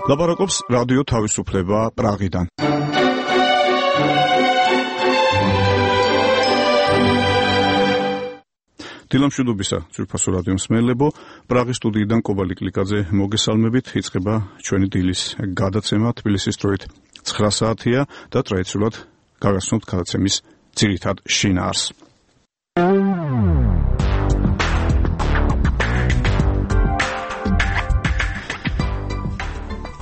ლაპარაკობს რადიო თავისუფლება პრაღიდან. დილამშვიდობისა, ძვირფასო რადიო მსმენელებო, პრაღის სტუდიიდან კობალი კლიკაძე მოგესალმებით. იწყება ჩვენი დილის გადაცემა. თბილისის დროით 9 საათია და ტრადიციულად გაგაცნობთ გადაცემის ძირითად შინაარსს.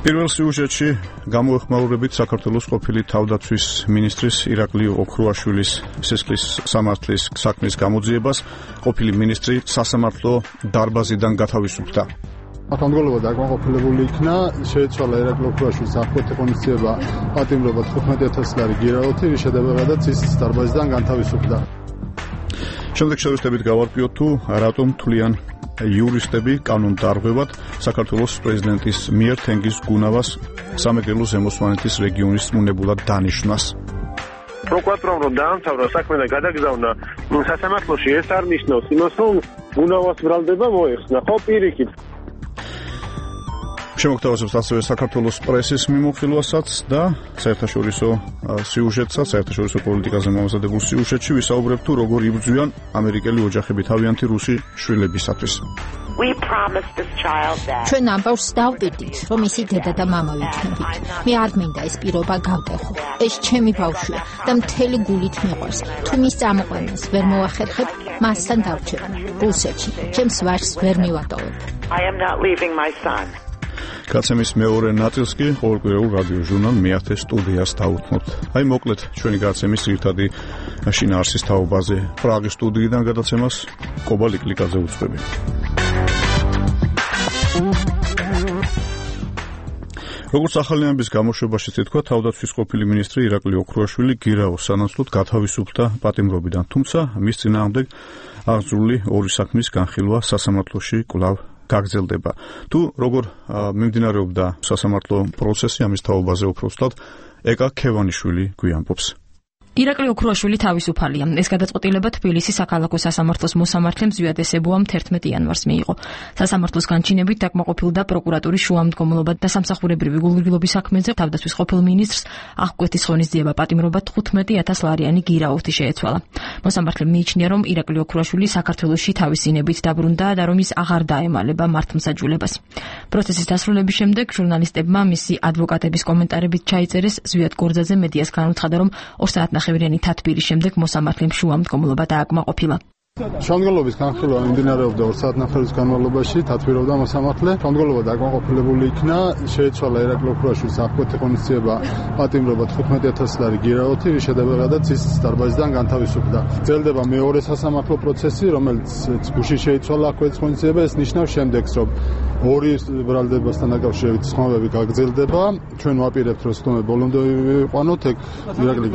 პირველ სიუჟეტში გამოეხმაურებით საქართველოს ყოფილი თავდაცვის მინისტრის ირაკლი ოქრუაშვილის სისხლის სამართლის საქმის გამოძიებას ყოფილი მინისტრი სასამართლო დარბაზიდან გათავისუფლდა. ათამდღოლობა დაკმაყოფილებული იქნა, შეეცვალა ირაკლი ოქრუაშვილის აღკვეთი ღონისძიება პატიმრობა 15,000 ლარი გირაოთი, რის შედეგადაც ის დარბაზიდან განთავისუფლდა. შემდეგ შევეცდებით გავარკვიოთ თუ რატომ თვლიან იურისტები კანონდარღვევად საქართველოს პრეზიდენტის მიერ თენგიზ გუნავას სამეგრელო ზემოსვანეთის რეგიონის უნებურად დანიშვნას. პროკურორმა რომ დაამთავრა საქმე და გადაგზავნა სასამართლოში, ეს არ ნიშნავს იმას, რომ გუნავას ბრალდება მოეხსნა, ხო პირიქით. შემოგთავაზებთ ასევე საქართველოს პრესის მიმოხილვასაც და საერთაშორისო სიუჟეტსაც, საერთაშორისო პოლიტიკაზე მომზადებულ სიუჟეტში ვისაუბრებთ თუ როგორ იბრძვიან ამერიკელი ოჯახები თავიანთი რუსი შვილებისათვის. ჩვენ ამბავს დავტირდით, რომ ისი დედა და მამა ვიქნებით. მე არ მინდა ეს პირობა გავტეხო. ეს ჩემი ბავშვია და მთელი გულით მიყვარს. თუ მის წამოყვანას ვერ მოახერხებ, მასთან დავრჩებ რუსეთში. ჩემს ვაჟს ვერ მივატოვებ. გადაცემის მეორე ნაწილს კი ყოველკვირეულ რადიო ჟურნალ მეათე სტუდიას დაუთმობთ. აი მოკლედ ჩვენი გადაცემის ძირითადი შინაარსის თაობაზე. პრაღის სტუდიიდან გადაცემას კობალი კლიკაძე უძღვები. როგორც ახალი ამბის გამოშვებაში თქვა, თავდაცვის ყოფილი მინისტრი ირაკლი ოქრუაშვილი გირაოს სანაცვლოდ გათავისუფლდა პატიმრობიდან, თუმცა მის წინააღმდეგ აღძრული ორი საქმის განხილვა სასამართლოში კვლავ გაგრძელდება. თუ როგორ მიმდინარეობდა სასამართლო პროცესი, ამის თაობაზე უფრო ვსვლად ეკა ქევანიშვილი გვიამბობს. ირაკლი ოქრუაშვილი თავისუფალია. ეს გადაწყვეტილება თბილისის საქალაქო სასამართლოს მოსამართლემ ზვიად ესებუამ 11 იანვარს მიიღო. სასამართლოს განჩინებით დაკმაყოფილდა პროკურატურის შუამდგომლობა და სამსახურებრივი გულგრილობის საქმეზე თავდაცვის ყოფილ მინისტრს აღკვეთის ღონისძიება პატიმრობა 15,000 ლარიანი გირაოთი შეეცვალა. მოსამართლემ მიიჩნია, რომ ირაკლი ოქრუაშვილი საქართველოში თავისინებით დაბრუნდა და რომ ის აღარ დაემალება მართლმსაჯულებას. პროცესის დასრულების შემდეგ ჟურნალისტებმა მისი ადვოკატების კომენტარებით ჩაიწერეს. ზვიად გორძაძე მედიას განუცხადა, რომ 2 საათნახევრიანი თათბირის შემდეგ მოსამართლემ შუამდგომლობა დააკმაყოფილა. შემდგომლობის განხილვა მიმდინარეობდა 2 საათნახევრის განმავლობაში, თათბირობდა მოსამართლე. შემდგომლობა დაკმაყოფილებული იქნა, შეეცვალა ირაკლი ოქრუაშვილის აღკვეთი ღონისძიება პატიმრობა 15,000 ლარი გირაოთი, რის შედეგადაც ის დარბაზიდან განთავისუფლდა. გრძელდება მეორე სასამართლო პროცესი, რომელიც გუშინ შეიცვალა აღკვეთის ღონისძიება. ეს ნიშნავს შემდეგს, რომ ორი ბრალდებასთან დაკავშირებით ხმობები გაგრძელდება. ჩვენ ვაპირებთ, რომ ხმობები ბოლომდე ვიყვანოთ. ეგ ირაკლი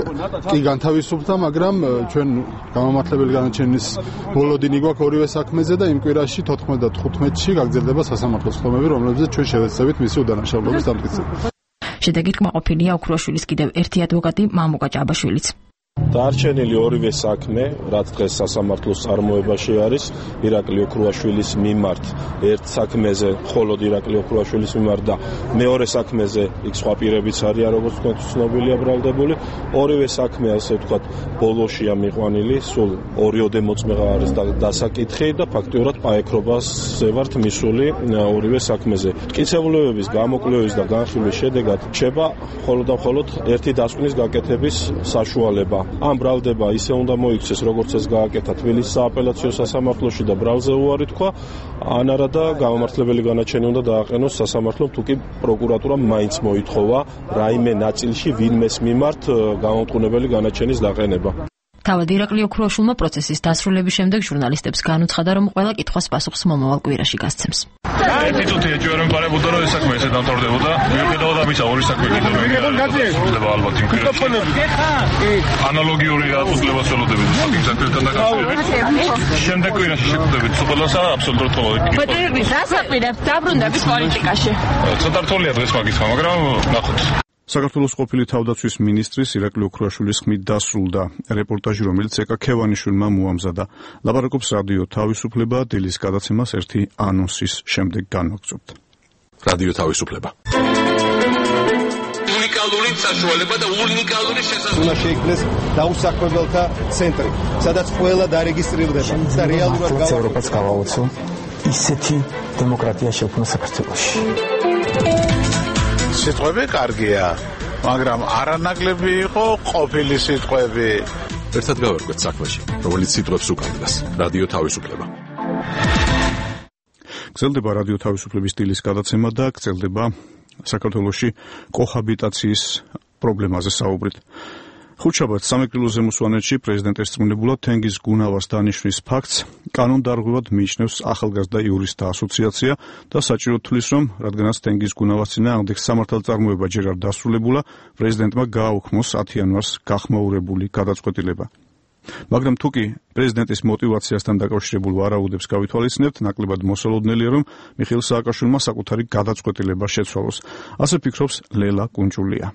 კი განთავისუფლდა, მაგრამ ჩვენ გამომართლებელი განაჩენის ბოლოდინი გვაქვს ორივე საქმეზე და იმ კვირაში 14 და 15-ში გაგრძელდება სასამართლოს ხმობები, რომლებზეც ჩვენ შევეცდებით მისი უდანაშაულობის დამტკიცება. შედეგით კმაყოფილია ოქრუაშვილის კიდევ ერთი ადვოკატი მამუკა ჭაბაშვილიც. დარჩენილი ორივე საქმე, რაც დღეს სასამართლოს წარმოებაში არის, ირაკლი ოქრუაშვილის მიმართ ერთ საქმეზე, მხოლოდ ირაკლი ოქრუაშვილის მიმართ და მეორე საქმეზე იქ სხვა პირებიც არიან, როგორც თქვენ ცნობილია ბრალდებული. ორივე საქმე, ასე ვთქვათ, ბოლოშია მიყვანილი, სულ ორიოდე მოწმეღა არის დასაკითხი და ფაქტიურად პაექრობაზე ვართ მისული ორივე საქმეზე. მტკიცებულებების გამოკვლევის და განხილვის შედეგად რჩება მხოლოდ და მხოლოდ ერთი დასკვნის გაკეთების საშუალება. ამ ბრალდება ისე უნდა მოიქცეს, როგორც ეს გააკეთა თბილისის სააპელაციო სასამართლოში და ბრალზე უარი თქვა, ან არა და გამომართლებელი განაჩენი უნდა დააყენოს სასამართლომ, თუ კი პროკურატურამ მაინც მოითხოვა რაიმე ნაწილში ვინმეს მიმართ გამომტყუნებელი განაჩენის დაყენება. თავად ირაკლი ოქრუაშვილმა პროცესის დასრულების შემდეგ ჟურნალისტებს განუცხადა, რომ ყველა კითხვას პასუხს მომავალ კვირაში გასცემს. ერთი წუთი ეჭვია რომ პარებოდა, რომ ეს საქმე ესე დამთავრდებოდა. მიუხედავად ამისა, ორი საქმე კიდევ შეიძლება ალბათ იმ კვირაში. ანალოგიური რატუძლებას ველოდებით იმ საქმესთან დაკავშირებით. შემდეგ კვირაში შეგვდებით ყველასა აბსოლუტურად ყოველ კითხვას. ბატონი, დასაკვირებს დაბრუნდების პოლიტიკაში. ცოტა რთულია დღეს მაგის ხმა, მაგრამ ნახოთ. საქართველოს ყოფილი თავდაცვის მინისტრის ირაკლი ოქრუაშვილის ხმით დასრულდა რეპორტაჟი, რომელიც ეკა ქევანიშვილმა მოამზადა. ლაპარაკობს რადიო თავისუფლება, დილის გადაცემას ერთი ანონსის შემდეგ განვაგრძობთ. რადიო თავისუფლება. სრული საშუალება და უნიკალური შესაძლებლობა. უნდა შეიქმნეს დაუსაქმებელთა ცენტრი, სადაც ყველა დარეგისტრირდება და რეალურად ევროპას გავაოცო ისეთი დემოკრატია შექმნა საქართველოში. სიტყვები კარგია, მაგრამ არანაკლები იყო ყოფილი სიტყვები. ერთად გავერკვეთ საქმეში, რომელიც სიტყვებს უკანდას. რადიო თავისუფლება. გრძელდება რადიო თავისუფლების სტილის გადაცემა და გრძელდება საქართველოში კოჰაბიტაციის პრობლემაზე საუბრით. ხუთშაბათს სამეგრელოზე მოსვანეთში პრეზიდენტ ერწმუნებულად თენგიზ გუნავას დანიშვნის ფაქტს კანონდარღვევად მიიჩნევს ახალგაზრდა იურისტთა ასოციაცია და საჭირო თვლის, რომ რადგანაც თენგიზ გუნავას წინააღმდეგ სამართალწარმოება ჯერ არ დასრულებულა, პრეზიდენტმა გააუქმოს 10 იანვარს გახმაურებული გადაწყვეტილება. მაგრამ თუკი პრეზიდენტის мотиваციასთან დაკავშირებულ ვარაუდებს გავითვალისწინებთ, ნაკლებად მოსალოდნელია, რომ მიხეილ სააკაშვილმა საკუთარი გადაწყვეტილება შეცვალოს. ასე ფიქრობს ლელა კუნჭულია.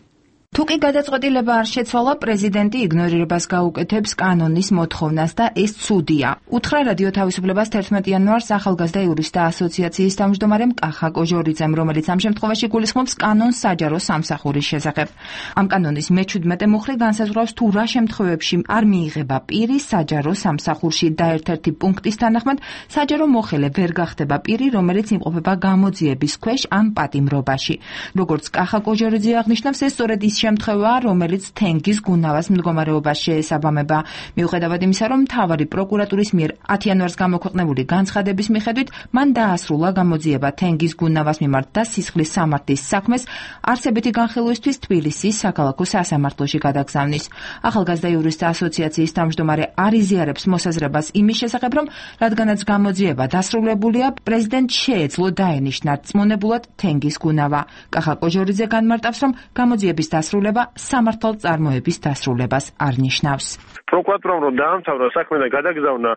თუკი გადაწყვეტილება არ შეცვალა, პრეზიდენტი იგნორირებას გაუკეთებს კანონის მოთხოვნას და ეს ცუდია. უთხრა რადიო თავისუფლებას 11 იანვარს ახალგაზრდა იურისტთა ასოციაციის თავმჯდომარემ კახა კოჟორიძემ, რომელიც ამ შემთხვევაში გულისხმობს კანონს საჯარო სამსახურის შესახებ. ამ კანონის მე-17 მუხლი განსაზღვრავს თუ რა შემთხვევებში არ მიიღება პირი საჯარო სამსახურში და ერთ-ერთი პუნქტის თანახმად საჯარო მოხელე ვერ გახდება პირი, რომელიც იმყოფება გამოძიების ქვეშ ან პატიმრობაში. როგორც კახა კოჟორიძე აღნიშნავს, ეს სწორედ ის შემთხვევაა, რომელიც თენგიზ გუნავას მდგომარეობას შეესაბამება. მიუხედავად იმისა, რომ მთავარი პროკურატურის მიერ 10 იანვარს გამოქვეყნებული განცხადების მიხედვით მან დაასრულა გამოძიება თენგიზ გუნავას მიმართ და სისხლის სამართლის საქმეს არსებითი განხილვისთვის თბილისის საქალაქო სასამართლოში გადაგზავნის. ახალგაზრდა იურისტთა ასოციაციის თავმჯდომარე არ იზიარებს მოსაზრებას იმის შესახებ, რომ რადგანაც გამოძიება დასრულებულია, პრეზიდენტს შეეძლო დაენიშნა რწმუნებულად თენგიზ გუნავა. კახა კოჟორიძე განმარტავს, რომ გამოძიების დასრულება სამართალწარმოების დასრულებას არ ნიშნავს. პროკურატურამ რომ დაამთავრა საქმე და გადაგზავნა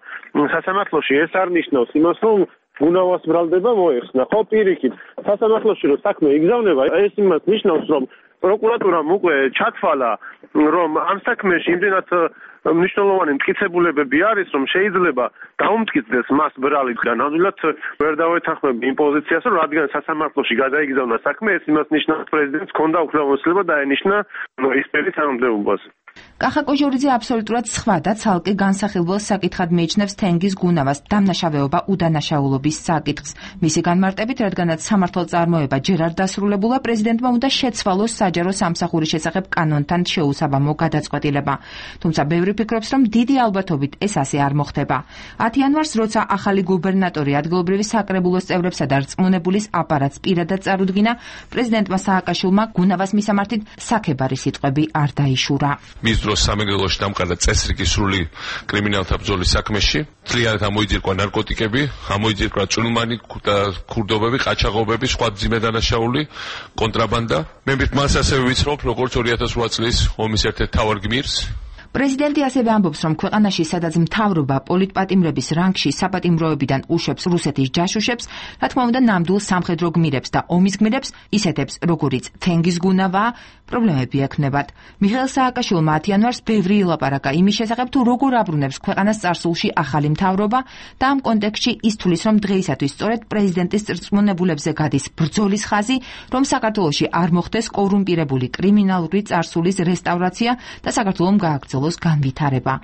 სასამართლოში, ეს არ ნიშნავს იმას, რომ გუნავას ბრალდება მოეხსნა. ხო, პირიქით, სასამართლოში რომ საქმე იგზავნება, ეს იმას ნიშნავს, რომ პროკურატურამ უკვე ჩათვალა, რომ ამ საქმეში იმდენად მნიშვნელოვანი მტკიცებულებები არის, რომ შეიძლება დაუმტკიცდეს მას ბრალისგან. ნამდვილად ვერ დავეთანხმები იმ პოზიციას, რომ რადგან სასამართლოში გადაიგზავნა საქმე, ეს იმას ნიშნავს, პრეზიდენტს ჰქონდა უფლებამოსილება დაენიშნა ის პირის თანამდებობაზე. კახა კოჟორიძე აბსოლუტურად სხვა და ცალკე განსახილველ საკითხად მიიჩნევს თენგიზ გუნავას დამნაშავეობა უდანაშაულობის საკითხს. მისი განმარტებით, რადგანაც სამართალწარმოება ჯერ არ დასრულებულა, პრეზიდენტმა უნდა შეცვალოს საჯარო სამსახურის შესახებ კანონთან შეუსაბამო გადაწყვეტილება. თუმცა ბევრი ფიქრობს, რომ დიდი ალბათობით ეს ასე არ მოხდება. 10 იანვარს, როცა ახალი გუბერნატორი ადგილობრივი საკრებულოს წევრებსა და რწმუნებულის აპარატს პირადად წარუდგინა, პრეზიდენტმა სააკაშვილმა გუნავას მისამართით საქებარი სიტყვები არ დაიშურა. მის დროს სამეგრელოში დამყარა წესრიგი სრული კრიმინალთა ბრძოლის საქმეში. მთლიანად ამოიძირკვა ნარკოტიკები, ამოიძირკვა ჭრილმანი და ქურდობები, ყაჩაღობები, სხვა მძიმე დანაშაული, კონტრაბანდა. მე მას ასევე ვიცნობ, როგორც 2008 წლის ომის ერთ-ერთ მთავარ გმირს. პრეზიდენტი ასევე ამბობს, რომ ქვეყანაში, სადაც მთავრობა პოლიტპატიმრების რანგში საპატიმროებიდან უშვებს რუსეთის ჯაშუშებს, რა თქმა უნდა, ნამდვილ სამხედრო გმირებს და ომის გმირებს, ისეთებს, როგორიც თენგიზ გუნავა, პრობლემები ექნებათ. მიხეილ სააკაშვილმა 10 იანვარს ბევრი ილაპარაკა იმის შესახებ, თუ როგორ აბრუნებს ქვეყანას წარსულში ახალი მთავრობა და ამ კონტექსტში ის თვლის, რომ დღეისათვის სწორედ პრეზიდენტის წრწმუნებულებზე გადის ბრძოლის ხაზი, რომ საქართველოში არ მოხდეს კორუმპირებული კრიმინალური წარსულის რესტავრაცია და საქართველომ გააგრძელოს განვითარება.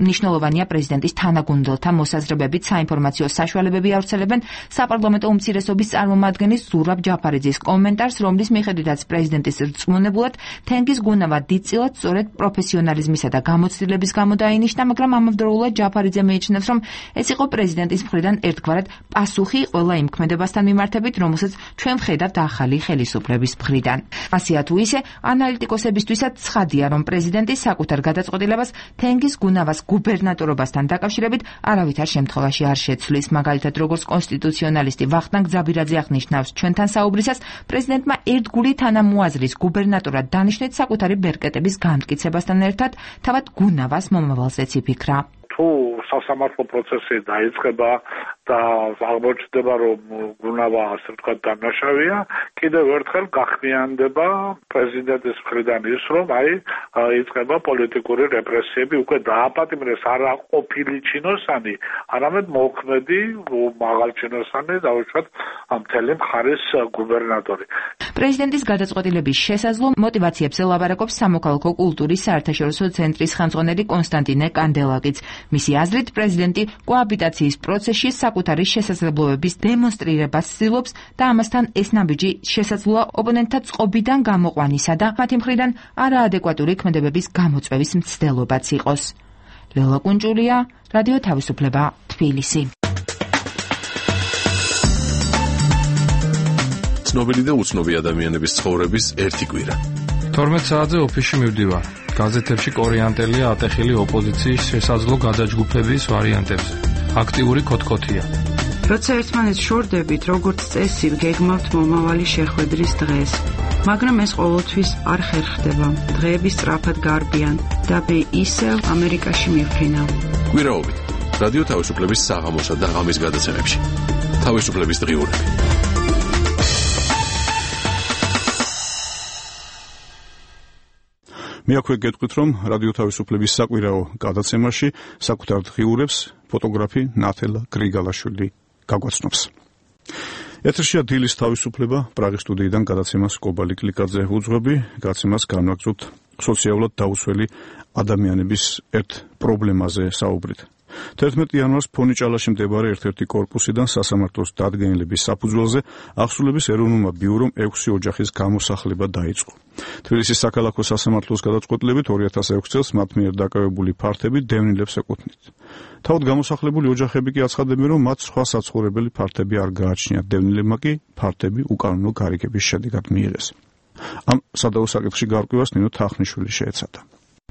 მნიშვნელოვანია პრეზიდენტის თანაგუნდელთა მოსაზრებებით საინფორმაციო საშუალებები ავრცელებენ საპარლამენტო უმცირესობის წარმომადგენლის ზურაბ ჯაფარიძის კომენტარს, რომლის მიხედვითაც პრეზიდენტის რწმუნებულად თენგიზ გუნავა დიდწილად სწორედ პროფესიონალიზმისა და გამოცდილების გამო დაინიშნა, მაგრამ ამავდროულად ჯაფარიძე მიიჩნევს, რომ ეს იყო პრეზიდენტის მხრიდან ერთგვარად პასუხი ყველა იმ ქმედებასთან მიმართებით, რომელსაც ჩვენ ვხედავთ ახალი ხელისუფლების მხრიდან. ასეა თუ ისე, ანალიტიკოსებისთვისაც ცხადია, რომ პრეზიდენტი საკუთარ გადაწყვეტილებას თენგიზ გუნავას გუბერნატორობასთან დაკავშირებით არავითარ შემთხვევაში არ შეცვლის. მაგალითად, როგორც კონსტიტუციონალისტი ვახტანგ ძაბირაძე აღნიშნავს ჩვენთან საუბრისას, პრეზიდენტმა ერთგული თანამოაზრის გუბერნატორად დანიშნეთ საკუთარი ბერკეტების გამტკიცებასთან ერთად, თავად გუნავას მომავალზეც იფიქრა. თუ სასამართლო პროცესი დაიწყება და აღმოჩნდება, რომ გუნავა ასე ვთქვათ დამნაშავეა, კიდევ ერთხელ გახმიანდება პრეზიდენტის მხრიდან ის, რომ იწყება პოლიტიკური რეპრესიები, უკვე დააპატიმრეს არა ყოფილი ჩინოსანი, არამედ მოქმედი მაღალჩინოსანი, დაუშვათ მთელი მხარის გუბერნატორი. პრეზიდენტის გადაწყვეტილების შესაძლო მოტივაციებს ელაბარაკობს სამოქალაქო კულტურის საერთაშორისო ცენტრის ხელმძღვანელი კონსტანტინე კანდელაკიც. მისი აზრით, პრეზიდენტი კოაბიტაციის პროცესში საკუთარი შესაძლებლობების დემონსტრირებას ცდილობს და ამასთან ეს ნაბიჯი შესაძლოა ოპონენტთა წყობიდან გამოყვანისა და მათი მხრიდან არაადეკვატური ქმედებების გამოწვევის მცდელობაც იყოს. ლელა კუნჭულია, რადიო თავისუფლება, თბილისი. ცნობილი და უცნობი ადამიანების ცხოვრების ერთი კვირა. 12 საათზე ოფისში მივდივარ. გაზეთებში კორეანტელია ატეხილი ოპოზიციის შესაძლო გადაჯგუფების ვარიანტებზე. აქტიური ქოთქოთია. როცა ერთმანეთს შორდებით, როგორც წესი, გეგმავთ მომავალი შეხვედრის დღეს. მაგრამ ეს ყოველთვის არ ხერხდება. დღეები სწრაფად გარბიან და მე ისევ ამერიკაში მივფრინავ. კვირაობით რადიო თავისუფლების საღამოსა და ღამის გადაცემებში. თავისუფლების დღიურები. მე აქვე გეტყვით, რომ რადიო თავისუფლების საკვირაო გადაცემაში საკუთარ დღიურებს ფოტოგრაფი ნათელა გრიგალაშვილი გაგვაცნობს. ეთერშია დილის თავისუფლება, პრაღის სტუდიიდან გადაცემას კობალი კლიკაძე უძღვები, გადაცემას განვაგრძობთ სოციალურად დაუცველი ადამიანების ერთ პრობლემაზე საუბრით. 11 იანვარს ფონიჭალაში მდებარე ერთ-ერთი კორპუსიდან სასამართლოს დადგენილების საფუძველზე აღსრულების ეროვნულმა ბიურომ 6 ოჯახის გამოსახლება დაიწყო. თბილისის საქალაქო სასამართლოს გადაწყვეტილებით 2006 წელს მათ მიერ დაკავებული ფართები დევნილებს ეკუთვნით. თავად გამოსახლებული ოჯახები კი აცხადებენ, რომ მათ სხვა საცხოვრებელი ფართები არ გააჩნიათ, დევნილებმა კი ფართები უკანონო გარიგების შედეგად მიიღეს. ამ სადავო საკითხში გარკვევას ნინო თახნიშვილი შეეცადა.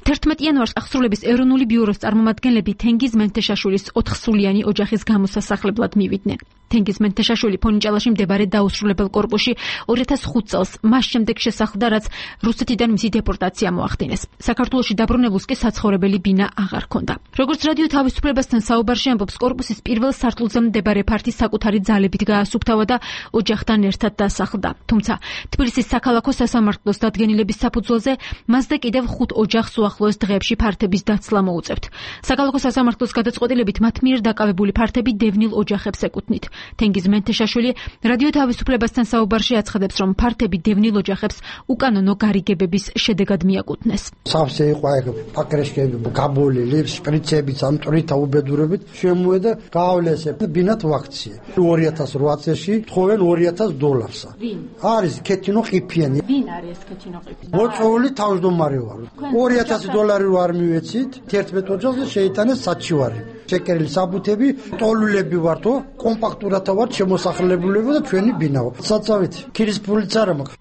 11 იანვარს აღსრულების ეროვნული ბიუროს წარმომადგენლები თენგიზ მენთეშაშვილის 4-სულიანი ოჯახის გამოსასახლებლად მივიდნენ. თენგიზ მენთეშაშვილი ფონიჭალაში მდებარე დაუსრულებელ კორპუსში 2005 წელს მას შემდეგ შესახლდა, რაც რუსეთიდან მისი დეპორტაცია მოახდინეს. საქართველოში დაბრუნებულს კი საცხოვრებელი ბინა აღარ ჰქონდა. როგორც რადიო თავისუფლებასთან საუბარში ამბობს, კორპუსის პირველ სართულზე მდებარე ფართი საკუთარი ძალებით გაასუფთავა და ოჯახთან ერთად დასახლდა. თუმცა თბილისის საქალაქო სასამართლოს დადგენილების საფუძველზე მასზე კიდევ 5 ოჯახს უახლოეს დღეებში ფართების დაცლა მოუწევთ. საქალაქო სასამართლოს გადაწყვეტილებით მათ მიერ დაკავებული ფართები დევნილ ოჯახებს ეკუთვნით. თენგიზ მენთეშაშვილი რადიო თავისუფლებასთან საუბარში აცხადებს, რომ ფართები დევნილ ოჯახებს უკანონო გარიგებების შედეგად მიაკუთვნეს. სავსე იყო ეგ პაკრეშკები, გაბოლილი, შპრიცები, სამტრითა უბედურებით შემოედა გაავლეს ბინათ ვაქცია. 2008 წელს თხოვენ $2000. ვინ? არის ქეთინო ყიფიანი. ვინ არის ქეთინო ყიფიანი? მოწვეული თავმჯდომარე ვარ. $2000 ვარ მივეცით, 11 ოჯახზე შეიტანეს საჩივარი. შეკერილი საბუთები, ტოლულები ვართო, კომპაქტურად ვარ შემოსახლებულები და ჩვენი ბინაო. საწავით, ქირის ფულიც არ მაქვს.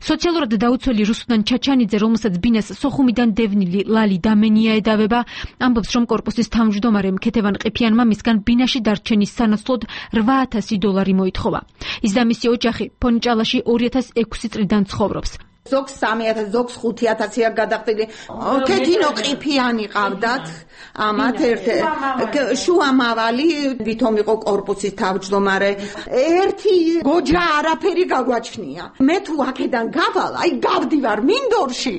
სოციალურად დაუცველი რუსუდან ჩაჩანიძე, რომელსაც ბინას სოხუმიდან დევნილი ლალი დამენია edaveba, ამბობს, რომ კორპუსის თავმჯდომარემ ქეთევან ყიფიანმა მისგან ბინაში დარჩენის სანაცვლოდ $800 მოითხოვა. ის და მისი ოჯახი ფონიჭალაში 2006 წლიდან ცხოვრობს. ზოგს 3000, ზოგს 5000-ია გადახდილი. ქეთინო ყიფიანი ყავდათ. ამათ შუამავალი ვითომ იყო კორპუსის თავმჯდომარე. ერთი გოჯა არაფერი გაგვაჩნია. მე თუ აქედან გავალ, აი გავდივარ მინდორში.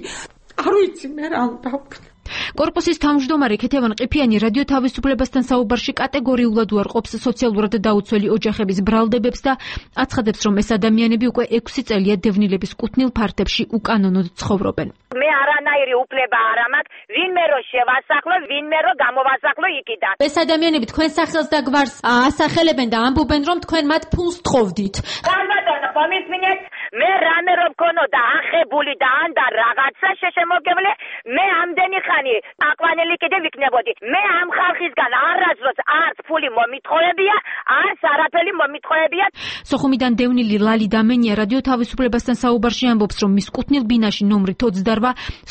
არ ვიცი მე რა უნდა ვქნა. კორპუსის თავმჯდომარე ქეთევან ყიფიანი რადიო თავისუფლებასთან საუბარში კატეგორიულად უარყოფს სოციალურად დაუცველი ოჯახების ბრალდებებს და აცხადებს, რომ ეს ადამიანები უკვე 6 წელია დევნილების კუთვნილ ფართებში უკანონოდ ცხოვრობენ. მე არანაირი უფლება არ მაქვს, ვინმე რო შევასახლო, ვინმე რო გამოვასახლო იქიდან. ეს ადამიანები თქვენ სახელს და გვარს ასახელებენ და ამბობენ, რომ თქვენ მათ ფულს თხოვდით. ხალბატონო, ხომისმინეთ, მე რამე რო მქონოდა ახებული და ანდა რაღაცა შეშემოგებლე, მე ამდენი ხანი აკვანელი კიდე ვიქნებოდი. მე ამ ხალხისგან არასდროს არც ფული მომითხოვებია, არც არაფერი მომითხოვებია. სოხუმიდან დევნილი ლალი დამენია რადიო თავისუფლებასთან საუბარში ამბობს, რომ მის კუთვნილ ბინაში ნომრით 28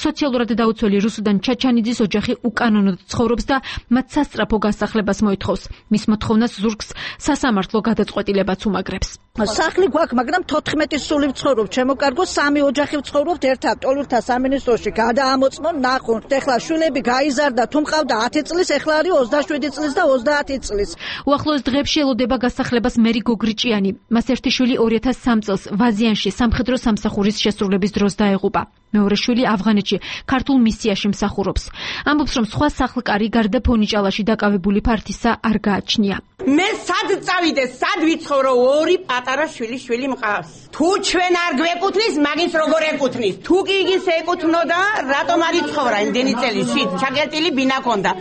სოციალურად დაუცველი რუსუდან ჩაჩანიძის ოჯახი უკანონოდ ცხოვრობს და მათ სასწრაფო გასახლებას მოითხოვს. მის მოთხოვნას ზურგს სასამართლო გადაწყვეტილებაც უმაგრებს. სახლი გვაქვს, მაგრამ 14 სული ვცხოვრობ, ჩემო კარგო 3 ოჯახი ვცხოვრობთ ერთად, ტოლურთა სამინისტროში გადაამოწმონ ნახონ. ეხლა შვილები გაიზარდა, თუ მყავდა 10 წლის, ეხლა არის 27 წლის და 30 წლის. უახლოეს დღეებში ელოდება გასახლებას მერი გოგრიჭიანი. მას ერთი შვილი 2003 წელს ვაზიანში სამხედრო სამსახურის შესრულების დროს დაეღუპა. მეორე შვილი ავღანეთში ქართულ მისიაში მსახურობს. ამბობს, რომ სხვა სახლკარი გარდა ფონიჭალაში დაკავებული ფართისა არ გააჩნია. მე სად წავიდე, სად ვიცხოვრო, ორი პატარა შვილი მყავს. თუ ჩვენ არ გვეკუთვნის, მაგის როგორ ეკუთვნის? თუ კი იგის ეკუთვნოდა, რატომ არ იცხოვრა იმდენი წელი? შით ჩაგერტილი ბინა ქონდა.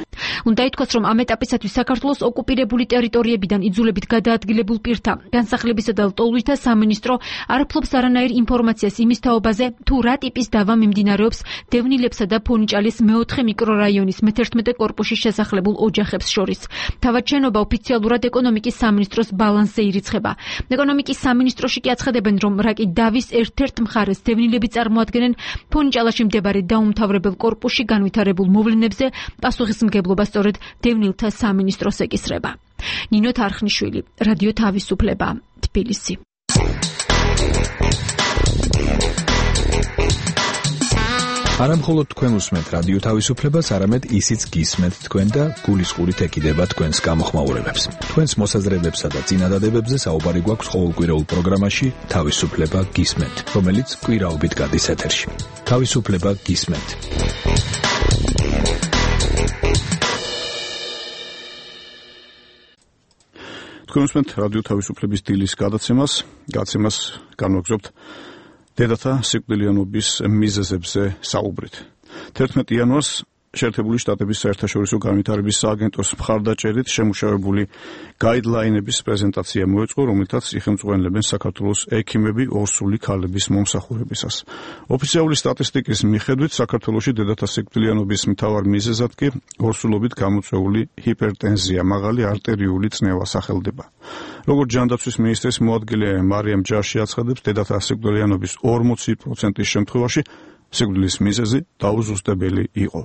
უნდა ითქვას, რომ ამ ეტაპისათვის საქართველოს ოკუპირებული ტერიტორიებიდან იძულებით გადაადგილებულ პირთა განსახლებისა და ლტოლვითა სამინისტრო არ ფლობს არანაირ ინფორმაციას იმის თაობაზე, თუ რა ტიპის დავა მიმდინარეობს დევნილებსა და ფონიჭალის მეოთხე მიკრორაიონის მე-11 კორპუსში შესახლებულ ოჯახებს შორის. თავად შენობა ოფიციალურად ეკონომიკის სამინისტროს ბალანსზე ირიცხება. ეკონომიკის სამინისტროში კი აცხადებენ, რომ რაკი დავის ერთ-ერთ მხარეს დევნილები წარმოადგენენ ფონიჭალაში მდებარე დაუმთავრებელ კორპუსში განვითარებულ მოვლენებზე პასუხისმგებლობა სწორედ დევნილთა სამინისტროს ეკისრება. ნინო თარხნიშვილი, რადიო თავისუფლება, თბილისი. არა მხოლოდ თქვენ უსმენთ რადიო თავისუფლებას, არამედ ისიც გისმენთ თქვენ და გულისყურით ეკიდება თქვენს გამოხმაურებებს. თქვენს მოსაზრებებსა და წინადადებებზე საუბარი გვაქვს ყოველკვირეულ პროგრამაში თავისუფლება გისმენთ, რომელიც კვირაობით გადის ეთერში. თავისუფლება გისმენთ. თქვენ უსმენთ რადიო თავისუფლების დილის გადაცემას განვაგრძობთ დედათა სიკვდილიანობის მიზეზებზე საუბრით. 11 იანვარს შეერთებული შტატების საერთაშორისო განვითარების სააგენტოს მხარდაჭერით შემუშავებული გაიდლაინების პრეზენტაცია მოეწყო, რომელთაც იხელმძღვანელებენ საქართველოს ექიმები ორსული ქალების მომსახურებისას. ოფიციალური სტატისტიკის მიხედვით საქართველოში დედათა სიკვდილიანობის მთავარ მიზეზად კი ორსულობით გამოწვეული ჰიპერტენზია, მაღალი არტერიული წნევა სახელდება. როგორც ჯანდაცვის მინისტრის მოადგილე მარიამ ჯაში აცხადებს, დედათა სიკვდილიანობის 40% შემთხვევაში სიკვდილის მიზეზი დაუზუსტებელი იყო.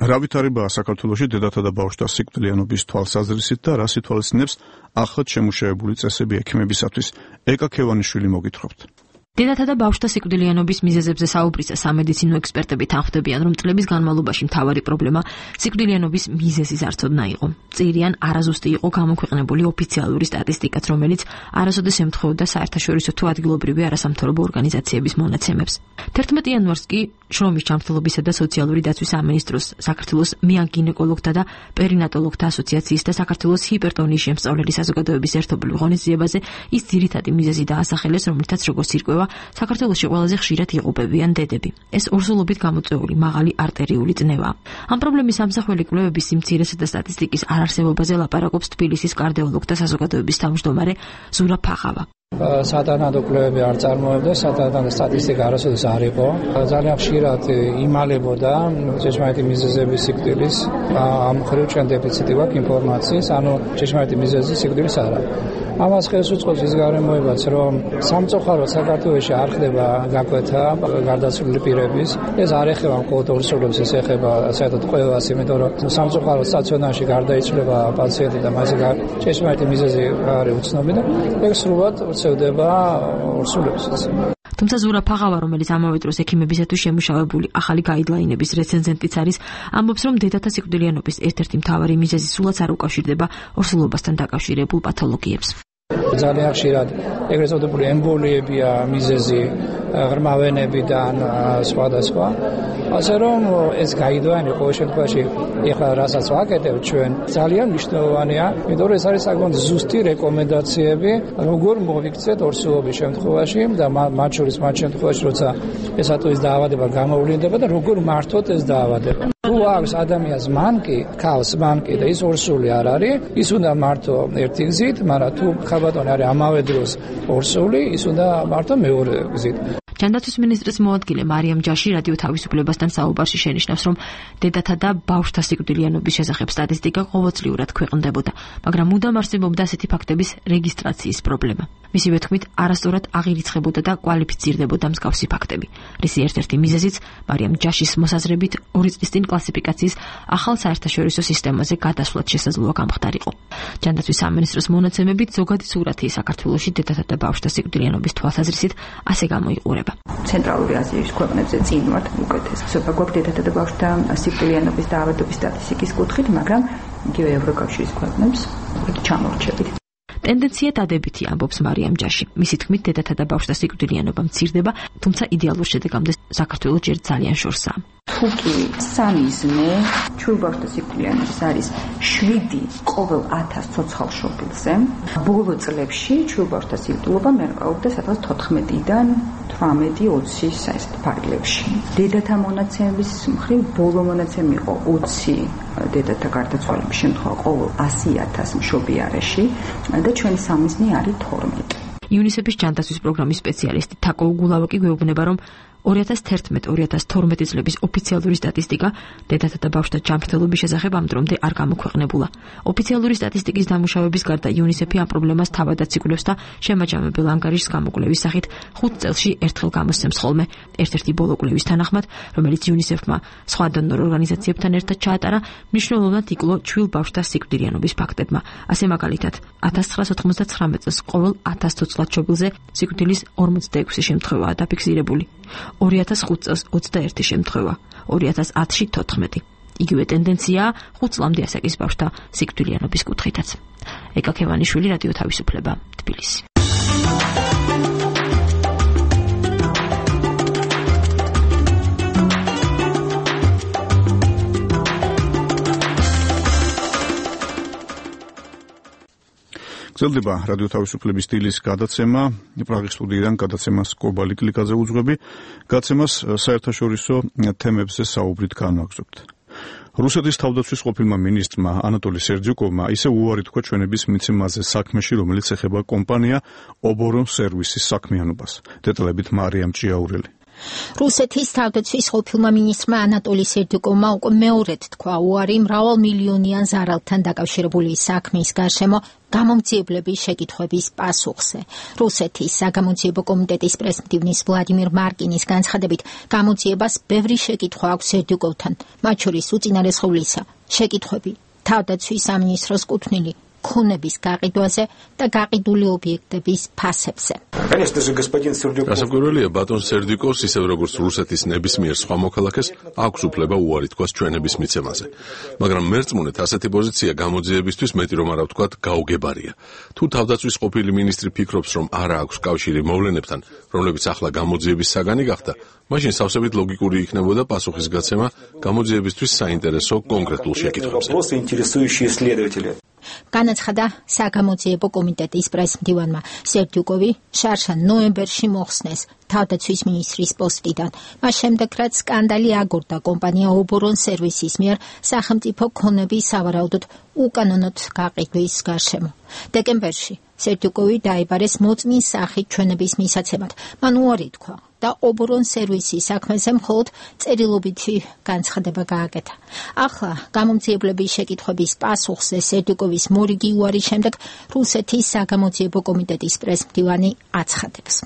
რა ვითარებაა საქართველოში დედათა და ბავშვთა სიკვდილიანობის თვალსაზრისით და რას ითვალისწინებს ახლად შემუშავებული წესები ექიმებისათვის? ეკა ქევანიშვილი მოგითხრობთ. დედათა და ბავშვთა სიკვდილიანობის მიზეზებზე საუბრისას სამედიცინო ექსპერტები თანხმდებიან, რომ წლების განმავლობაში მთავარი პრობლემა სიკვდილიანობის მიზეზის არცოდნა იყო. წირიან არაზუსტი იყო გამოქვეყნებული ოფიციალური სტატისტიკაც, რომელიც არასოდეს ემთხვეოდა საერთაშორისო თუ ადგილობრივი არასამთავრობო ორგანიზაციების მონაცემებს. 11 იანვარს კი შრომის ჯანმრთელობისა და სოციალური დაცვის სამინისტროს, საქართველოს მეაგინეკოლოგთა და პერინატოლოგთა ასოციაციის და საქართველოს ჰიპერტონიის შემსწავლელი საზოგადოების ერთობლივ ღონისძიებაზე ის ძირითადი მიზეზი დაასახელეს, რომელთაც როგორც ირკვევა საქართველოში ყველაზე ხშირად იღუპებიან დედები. ეს ორსულობით გამოწვეული მაღალი არტერიული წნევაა. ამ პრობლემის ამსახველი კვლევების სიმცირესა და სტატისტიკის არარსებობაზე ლაპარაკობს თბილისის კარდიოლოგთა საზოგადოების თავმჯდომარე ზურა ფაღავა. სათანადო კვლევები არ წარმოებდა, სათანადო სტატისტიკა არასოდეს არ იყო. ძალიან ხშირად იმალებოდა ჭეშმარიტი მიზეზების სიკვდილის, ამ მხრივ ჩვენ დეფიციტი გვაქვს ინფორმაციის, ანუ ჭეშმარიტი მიზეზი სიკვდილის არა. ამას ხელს უწყობს ის გარემოებაც, რომ სამწუხაროდ საქართველოში არ ხდება გაკვეთა გარდაცვლილი პირების. ეს არ ეხება მხოლოდ ორსულებს, ეს ეხება საერთოდ ყველას, იმიტომ რომ სამწუხაროდ სტაციონარში გარდაიცვლება პაციენტი და მასზე ჭეშმარიტი მიზეზი არის უცნობი და ეს სრულად ვრცელდება ორსულებსაც. თუმცა ზურა ფაღავა, რომელიც ამავე დროს ექიმებისათვის შემუშავებული ახალი გაიდლაინების რეცენზენტიც არის, ამბობს, რომ დედათა სიკვდილიანობის ერთ-ერთი მთავარი მიზეზი სულაც არ უკავშირდება ორსულობასთან დაკავშირებულ პათოლოგიებს. ძალიან ხშირად ეგრეთ წოდებული ემბოლიებია მიზეზი, ღრმა ვენებიდან სხვადასხვა. ასე რომ ეს გაიდლაინი ყოველ შემთხვევაში ეხლა რასაც ვაკეთებ ჩვენ ძალიან მნიშვნელოვანია, იმიტომ რომ ეს არის საკმაოდ ზუსტი რეკომენდაციები, როგორ მოვიქცეთ ორსულობის შემთხვევაში და მათ შორის მათ შემთხვევაში, როცა ეს ატოვის დაავადება გამოვლინდება და როგორ მართოთ ეს დაავადება. თუ აქვს ადამიანს მანკი, ქალს მანკი და ის ორსული არ არის, ის უნდა მართო ერთი გზით, მაგრამ თუ ხალბატონი არის ამავე დროს ორსული, ის უნდა მართო მეორე გზით. ჯანდაცვის მინისტრის მოადგილე მარიამ ჯაში რადიო თავისუფლებასთან საუბარში შენიშნავს, რომ დედათა და ბავშვთა სიკვდილიანობის შესახებ სტატისტიკა ყოველწლიურად ქვეყნდებოდა, მაგრამ მუდამ არსებობდა ასეთი ფაქტების რეგისტრაციის პრობლემა. მისივე თქმით, არასწორად აღირიცხებოდა და კვალიფიცირდებოდა მსგავსი ფაქტები. რისი ერთ-ერთი მიზეზიც მარიამ ჯაშის მოსაზრებით 2 წლის წინ კლასიფიკაციის ახალ საერთაშორისო სისტემაზე გადასვლაც შესაძლოა გამხდარიყო. ჯანდაცვის სამინისტროს მონაცემებით ზოგადი სურათი საქართველოში დედათა და ბავშვთა სიკვდილიანობის თვალსაზრისით ასე გამოიყურება. ცენტრალური აზიის ქვეყნებზე წინ ვართ უკეთესობა გვაქვს დედათა და ბავშვთა სიკვდილიანობის დაავადების სტატისტიკის კუთხით, მაგრამ იგივე ევროკავშირის ქვეყნებს ჩამორჩებით. ტენდენცია დადებითია, ამბობს მარიამ ჯაში. მისი თქმით, დედათა და ბავშვთა სიკვდილიანობა მცირდება, თუმცა იდეალურ შედეგამდე საქართველოს ჯერ ძალიან შორსაა. თუკი სამი ძმე ჩვილ ბავშვთა სიკვდილიანობის არის 7 ყოველ 1000 ცოცხალ შობილზე, ბოლო წლებში ჩვილ ბავშვთა სიკვდილობა მერყეობდა 14-დან 18-20 საერთოდ ფარგლებში. დედათა მონაცემების მხრივ ბოლო მონაცემი იყო 20 დედათა გარდაცვალების შემთხვევა ყოველ 100,000 მშობი არეში და ჩვენი სამიზნე არის 12. იუნისეფის ჯანდაცვის პროგრამის სპეციალისტი თაკო უგულავაკი გვეუბნება, რომ 2011-2012 წლების ოფიციალური სტატისტიკა დედათა და ბავშვთა ჯანმრთელობის შესახებ ამ დრომდე არ გამოქვეყნებულა. ოფიციალური სტატისტიკის დამუშავების გარდა იუნისეფი ამ პრობლემას თავადაც იკვლევს და შემაჯამებელ ანგარიშს გამოკვლევის სახით 5 წელში ერთხელ გამოსცემს ხოლმე. ერთ-ერთი ბოლო კვლევის თანახმად, რომელიც იუნისეფმა სხვა დონორ ორგანიზაციებთან ერთად ჩაატარა, მნიშვნელოვნად იკლო ჩვილ ბავშვთა სიკვდილიანობის ფაქტებმა. ასე მაგალითად, 1999 წელს ყოველ 1000 ცოცხლად შობილზე სიკვდილის 46 შემთხვევაა დაფიქსირებული. 2005 წელს 21 შემთხვევა, 2010-ში 14. იგივე ტენდენციაა 5 წლამდე ასაკის ბავშვთა სიკვდილიანობის კუთხითაც. ეკა ქევანიშვილი, რადიო თავისუფლება, თბილისი. გრძელდება რადიო თავისუფლების სტილის გადაცემა. პრაღის სტუდიიდან გადაცემას კობალი კლიკაზე უძღვები. გადაცემას საერთაშორისო თემებზე საუბრით განვაგრძობთ. რუსეთის თავდაცვის ყოფილმა მინისტრმა ანატოლი სერდიუკოვმა ისე უარი თქვა ჩვენების მიცემაზე საქმეში, რომელიც ეხება კომპანია ობორონ სერვისის საქმიანობას. დეტალებით მარიამ ჭიაურელი. რუსეთის თავდაცვის ყოფილმა მინისტრმა ანატოლი სერდიუკოვმა უკვე მეორედ თქვა უარი მრავალმილიონიან ზარალთან დაკავშირებული საქმის გარშემო გამომძიებლების შეკითხვების პასუხზე. რუსეთის საგამოძიებო კომიტეტის პრეზიდენტის ვლადიმირ მარკინის განცხადებით, გამოძიებას ბევრი შეკითხვა აქვს სერდიუკოვთან, მათ შორის უწინარესხულისა შეკითხვები თავდაცვის სამინისტროს კუთვნილი ქონების გაყიდვაზე და გაყიდული ობიექტების ფასებზე. გასაკვირველია, ბატონ სერდიუკოვს ისევ როგორც რუსეთის ნებისმიერ სხვა მოქალაქეს აქვს უფლება უარი თქვას ჩვენების მიცემაზე. მაგრამ მერწმუნეთ, ასეთი პოზიცია გამოძიებისთვის მეტი რომ არა ვთქვათ, გაუგებარია. თუ თავდაცვის ყოფილი მინისტრი ფიქრობს, რომ არა აქვს კავშირი მოვლენებთან, რომლებიც ახლა გამოძიების საგანი გახდა, მაშინ სავსებით ლოგიკური იქნებოდა პასუხის გაცემა გამოძიებისთვის საინტერესო კონკრეტულ შეკითხვებზე. განაცხადა საგამოძიებო კომიტეტის პრეზიდენტმა სერდიუკოვი შარშან ნოემბერში მოხსნეს თავდაცვის მინისტრის პოსტიდან. მას შემდეგ, რაც სკანდალი აგორდა კომპანია ობორონ სერვისის მიერ სახელმწიფო ქონების სავარაუდოდ უკანონოდ გაყიდვის გარშემო. დეკემბერში სერდიუკოვი დაიბარეს მოწმის სახით ჩვენების მისაცემად. მან უარი თქვა და ობორონ სერვისის საქმეზე მხოლოდ წერილობითი განცხადება გააკეთა. ახლა გამომძიებლების შეკითხვების პასუხზე სერდიუკოვის მორიგი უარის შემდეგ რუსეთის საგამოძიებო კომიტეტის პრეზიდენტი აცხადებს.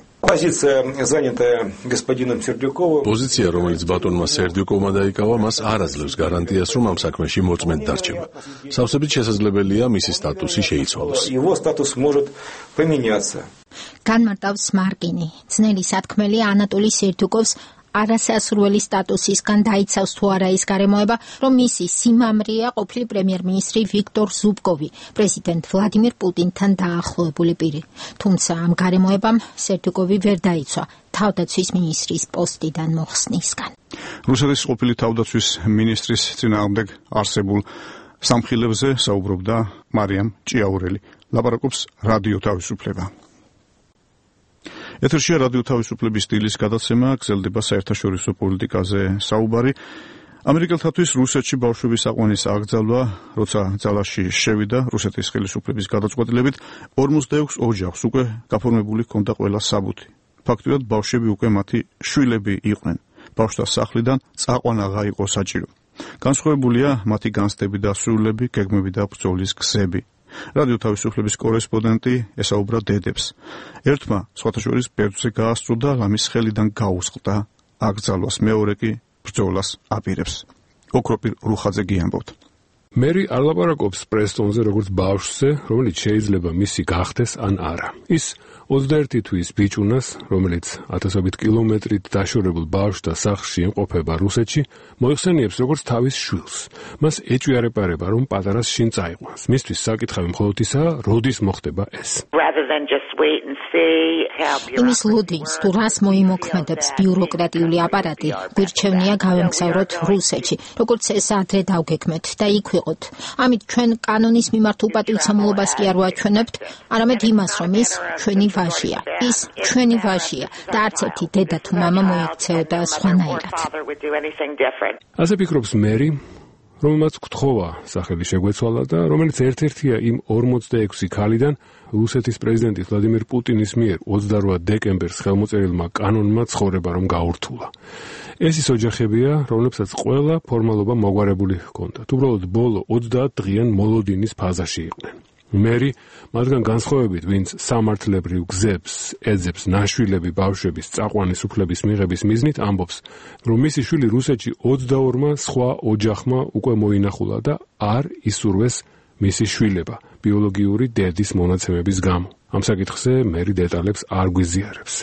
პოზიცია, რომელიც ბატონმა სერდიუკოვმა დაიკავა, მას არ აძლევს გარანტიას, რომ ამ საქმეში მოწმედ დარჩება. სავსებით შესაძლებელია მისი სტატუსი შეიცვალოს. განმარტავს მარკინი. ძნელი სათქმელი ანატოლი სერდიუკოვს არასასურველი სტატუსისგან დაიცავს თუ არა ის გარემოება, რომ მისი სიმამრეა ყოფილი პრემიერ-მინისტრი ვიქტორ ზუბკოვი, პრეზიდენტ ვლადიმირ პუტინთან დაახლოებული პირი. თუმცა ამ გარემოებამ სერდიუკოვი ვერ დაიცვა თავდაცვის მინისტრის პოსტიდან მოხსნისგან. რუსეთის ყოფილი თავდაცვის მინისტრის წინააღმდეგ არსებულ სამხილებზე საუბრობდა მარიამ ჭიაურელი. ლაპარაკობს რადიო თავისუფლება. ეთერშია რადიო თავისუფლების სტილის გადაცემა, გრძელდება საერთაშორისო პოლიტიკაზე საუბარი. ამერიკელთათვის რუსეთში ბავშვების აყვანის აკრძალვა, როცა ძალაში შევიდა რუსეთის ხელისუფლების გადაწყვეტილებით, 46 ოჯახს უკვე გაფორმებული ჰქონდა ყველა საბუთი. ფაქტურად ბავშვები უკვე მათი შვილები იყვნენ. ბავშვთა სახლიდან წაყვანა აღარ იყო საჭირო. განსხვავებულია მათი განცდები და სურვილები, გეგმები და ბრძოლის გზები. რადიო თავისუფლების კორესპონდენტი ესაუბრა დედებს. ერთმა სხვათა შორის ბერძზე გაასწრო და ლამის ხელიდან გაუსყდა აკრძალვას, მეორე კი ბრძოლას აპირებს. ოქროპირ რუხაძე გიამბობთ. მერი არ ლაპარაკობს პრესტონზე როგორც ბავშვზე, რომელიც შეიძლება მისი გახდეს ან არა. ის 21 თვის ბიჭუნას, რომელიც ათასობით კილომეტრით დაშორებულ ბავშვთა სახლში იმყოფება რუსეთში, მოიხსენიებს როგორც თავის შვილს. მას ეჭვიარეპარება, რომ პატარას შინ წაიყვანს. მისთვის საკითხავი მხოლოდ ისაა, როდის მოხდება ეს. იმის ლოდინს თუ რას მოიმოქმედებს ბიუროკრატიული აპარატი, გვირჩევნია გავემგზავროთ რუსეთში, როგორც ეს ადრე დავგეგმეთ და იქ ვიყოთ. ამით ჩვენ კანონის მიმართ უპატივცემულობას კი არ ვაჩვენებთ, არამედ იმას, რომ ის ჩვენი ვაჟია. ის ჩვენი ვაჟია და არც ერთი დედა თუ მამა მოიქცეოდა სხვანაირად. ასე ფიქრობს მერი, რომელმაც გთხოვა სახელი შეგვეცვალა და რომელიც ერთ-ერთია იმ 46 ქალიდან, რუსეთის პრეზიდენტი ვლადიმერ პუტინის მიერ 28 დეკემბერს ხელმოწერილმა კანონმა ცხოვრება რომ გაურთულა. ეს ის ოჯახებია, რომლებსაც ყველა ფორმალობა მოგვარებული ჰქონდათ. უბრალოდ ბოლო 30 დღიან მოლოდინის ფაზაში იყვნენ. მერი მათგან განსხვავებით, ვინც სამართლებრივ გზებს ეძებს ნაშვილები ბავშვების წაყვანის უფლების მიღების მიზნით, ამბობს, რომ მისი შვილი რუსეთში 22-მა სხვა ოჯახმა უკვე მოინახულა და არ ისურვეს მისი შვილება ბიოლოგიური დედის მონაცემების გამო. ამ საკითხზე მერი დეტალებს არ გვიზიარებს.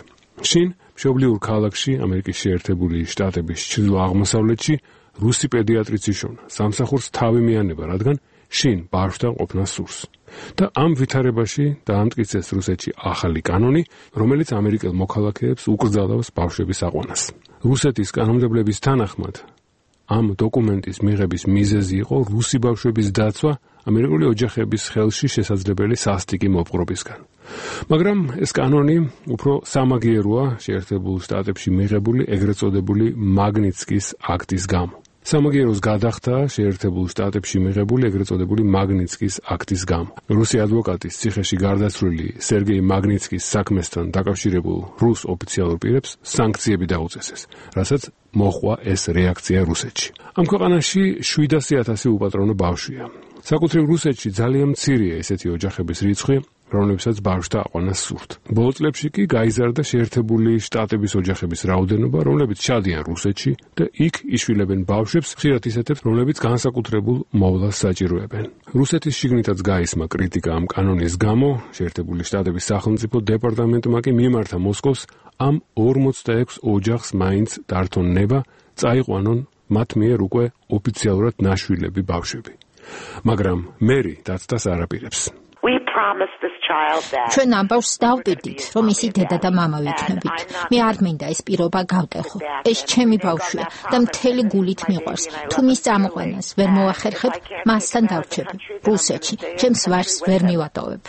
შინ მშობლიურ ქალაქში, ამერიკის შეერთებული შტატების ჩრდილო-აღმოსავლეთში, რუსი პედიატრიც იშოვნა. სამსახურს თავი მიანება, რადგან შინ ბავშვთან ყოფნა სურს. და ამ ვითარებაში დაამტკიცეს რუსეთში ახალი კანონი, რომელიც ამერიკელ მოქალაქეებს უკრძალავს ბავშვების აყვანას. რუსეთის კანონმდებლების თანახმად, ამ დოკუმენტის მიღების მიზეზი იყო რუსი ბავშვების დაცვა ამერიკული ოჯახების ხელში შესაძლებელი სასტიკი მოპყრობისგან. მაგრამ ეს კანონი უფრო სამაგიეროა შეერთებულ შტატებში მიღებული ეგრეთ წოდებული მაგნიცკის აქტის გამო. სამაგიეროს გადახდა შეერთებულ შტატებში მიღებული ეგრეთ წოდებული მაგნიცკის აქტის გამო. რუსი ადვოკატის ციხეში გარდაცვლილი სერგეი მაგნიცკის საქმესთან დაკავშირებულ რუს ოფიციალურ პირებს სანქციები დაუწესეს, რასაც მოჰყვა ეს რეაქცია რუსეთში. ამ ქვეყანაში 700,000 უპატრონო ბავშვია. საკუთრივ რუსეთში ძალიან მცირეა ესეთი ოჯახების რიცხვი, რომლებსაც ბავშვთა აყვანა სურთ. ბოლო წლებში კი გაიზარდა შეერთებული შტატების ოჯახების რაოდენობა, რომლებიც ჩადიან რუსეთში და იქ იშვილებენ ბავშვებს, ხშირად ისეთებს, რომლებიც განსაკუთრებულ მოვლას საჭიროებენ. რუსეთის შიგნითაც გაისმა კრიტიკა ამ კანონის გამო, შეერთებული შტატების სახელმწიფო დეპარტამენტმა კი მიმართა მოსკოვს ამ 46 ოჯახს მაინც დართონ ნება, წაიყვანონ მათ მიერ უკვე ოფიციალურად ნაშვილები ბავშვები. მაგრამ მერი დაცდას არ აპირებს. ჩვენ ამბავს დავპირდით, რომ ისი დედა და მამა ვიქნებით. მე არ მინდა ეს პირობა გავტეხო. ეს ჩემი ბავშვია და მთელი გულით მიყვარს. თუ მის წამოყვანას ვერ მოახერხებ, მასთან დავრჩები რუსეთში. ჩემს ვაჟს ვერ მივატოვებ.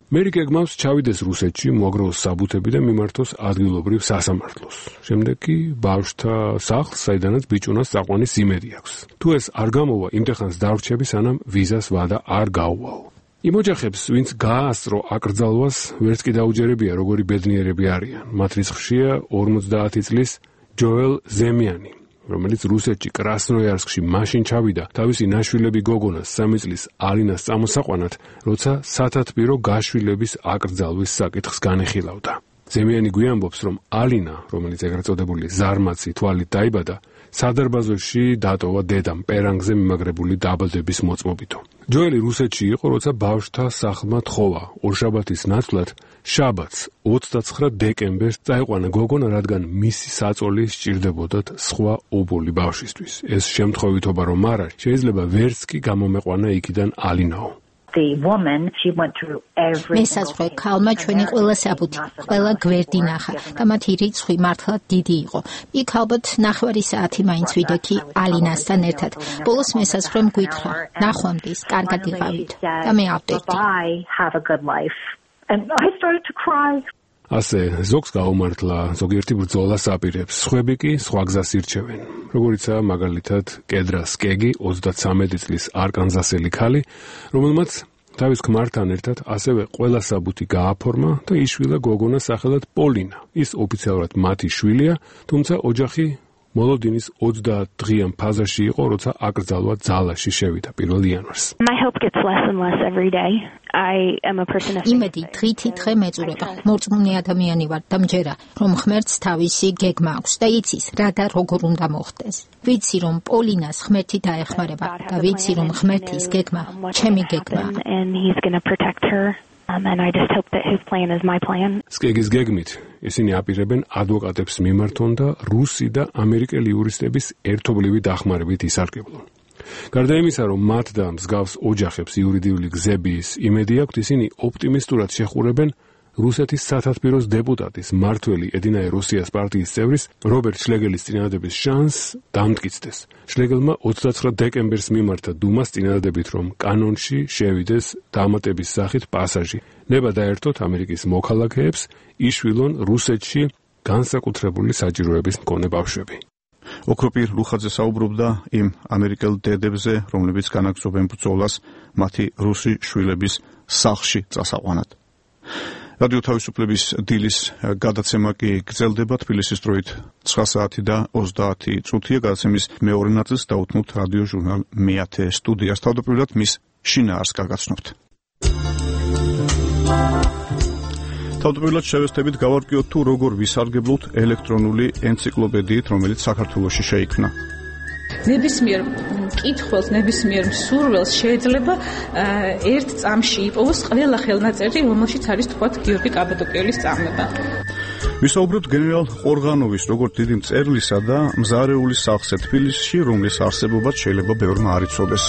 მერი გეგმავს ჩავიდეს რუსეთში, მოაგროვოს საბუთები და მიმართოს ადგილობრივ სასამართლოს. შემდეგ კი ბავშვთა სახლს, საიდანაც ბიჭუნას წაყვანის იმედი აქვს. თუ ეს არ გამოვა, იმდეხანს დავრჩები, სანამ ვიზას ვადა არ გაუვაო. იმ ოჯახებს, ვინც გააასწრო აკრძალვას, ვერც კი დაუჯერებია, როგორი ბედნიერები არიან. მათ რიცხვშია 50 წლის ჯოელ ზემიანი, რომელიც რუსეთში კრასნოიარსკში მაშინ ჩავიდა თავისი ნაშვილები გოგონას 3 წლის ალინას წამოსაყვანად, როცა სათათბირო გაშვილების აკრძალვის საკითხს განეხილავდა. ზემიანი გვიამბობს, რომ ალინა, რომელიც ეგრეთ წოდებული ზარმაცი თვალით დაიბადა, სადარბაზოში დატოვა დედამ პერანგზე მიმაგრებული დაბადების მოწმობითო. ჯოელი რუსეთში იყო, როცა ბავშვთა სახლმა თხოვა ორშაბათის ნაცვლად შაბათს 29 დეკემბერს წაიყვანა გოგონა, რადგან მისი საწოლი სჭირდებოდათ სხვა ობოლი ბავშვისთვის. ეს შემთხვევითობა რომ არა, შეიძლება ვერც კი გამომეყვანა იქიდან ალინაო. მესაზღვრე ქალმა ჩვენი ყველა საბუთი, ყველა გვერდი ნახა და მათი რიცხვი მართლაც დიდი იყო. იქ ალბათ 9 საათი მაინც ვიდექი ალინასთან ერთად. ბოლოს მესაზღვრემ გითხრა, ნახვამდის, კარგად იყავით და მე ავტირდი. ასე ზოგს გაუმართლა, ზოგიერთი ბრძოლას აპირებს, სხვები კი სხვა გზას ირჩევენ. როგორიცაა მაგალითად კედრას კეგი, 33 წლის არკანზასელი ქალი, რომელმაც თავის ქმართან ერთად ასევე ყველა საბუთი გააფორმა და იშვილა გოგონა სახელად პოლინა. ის ოფიციალურად მათი შვილია, თუმცა ოჯახი მოლოდინის 30 დღიან ფაზაში იყო, როცა აკრძალვა ძალაში შევიდა 1 იანვარს. იმედი დღითიდღე მეწურება. მორწმუნე ადამიანი ვარ და მჯერა, რომ ღმერთს თავისი გეგმა აქვს და იცის, რა და როგორ უნდა მოხდეს. ვიცი, რომ პოლინას ღმერთი დაეხმარება და ვიცი, რომ ღმერთის გეგმა ჩემი გეგმაა. And I just hope that his plan is my plan. სკეგის გეგმით ისინი აპირებენ ადვოკატებს მიმართონ და რუსი და ამერიკელი იურისტების ერთობლივი დახმარებით ისარგებლონ. გარდა იმისა, რომ მათ და მსგავს ოჯახებს იურიდიული გზების იმედი აქვთ, ისინი ოპტიმისტურად შეხურებენ რუსეთის სათათბიროს დეპუტატის მმართველი ედინაე რუსიას პარტიის წევრის რობერტ შლეგელის წინადადების შანსს დამტკიცდეს. შლეგელმა 29 დეკემბერს მიმართა დუმას წინადადებით, რომ კანონში შევიდეს დამატების სახით პასაჟი. ნება დაერთოთ ამერიკის მოქალაქეებს, იშვილონ რუსეთში განსაკუთრებული საჭიროების მქონე ბავშვები. ოქროპირ ლუხაძე საუბრობდა იმ ამერიკელ დედებზე, რომლებიც განაგრძობენ ბრძოლას მათი რუსი შვილების სახლში წასაყვანად. რადიო თავისუფლების დილის გადაცემა კი გრძელდება თბილისის დროით 9 საათი და 30 წუთია. გადაცემის მეორე ნაწილს დაუთმობთ რადიო ჟურნალ მეათე სტუდიას. თავდაპირველად მის შინაარსს გაგაცნობთ. თავდაპირველად შევესწრებით გავარკვიოთ თუ როგორ ვისარგებლოთ ელექტრონული ენციკლოპედიით, რომელიც საქართველოში შეიქმნა. ნებისმიერ მკითხველს, ნებისმიერ მსურველს შეიძლება ერთ წამში იპოვოს ყველა ხელნაწერი, რომელშიც არის თქვათ გიორგი კაბადოკიელის წამება. ვისაუბრებთ გენერალ ყორღანოვის როგორც დიდი მწერლისა და მზარეულის სახლზე თბილისში, რომლის არსებობაც შეიძლება ბევრმა არ იცოდეს.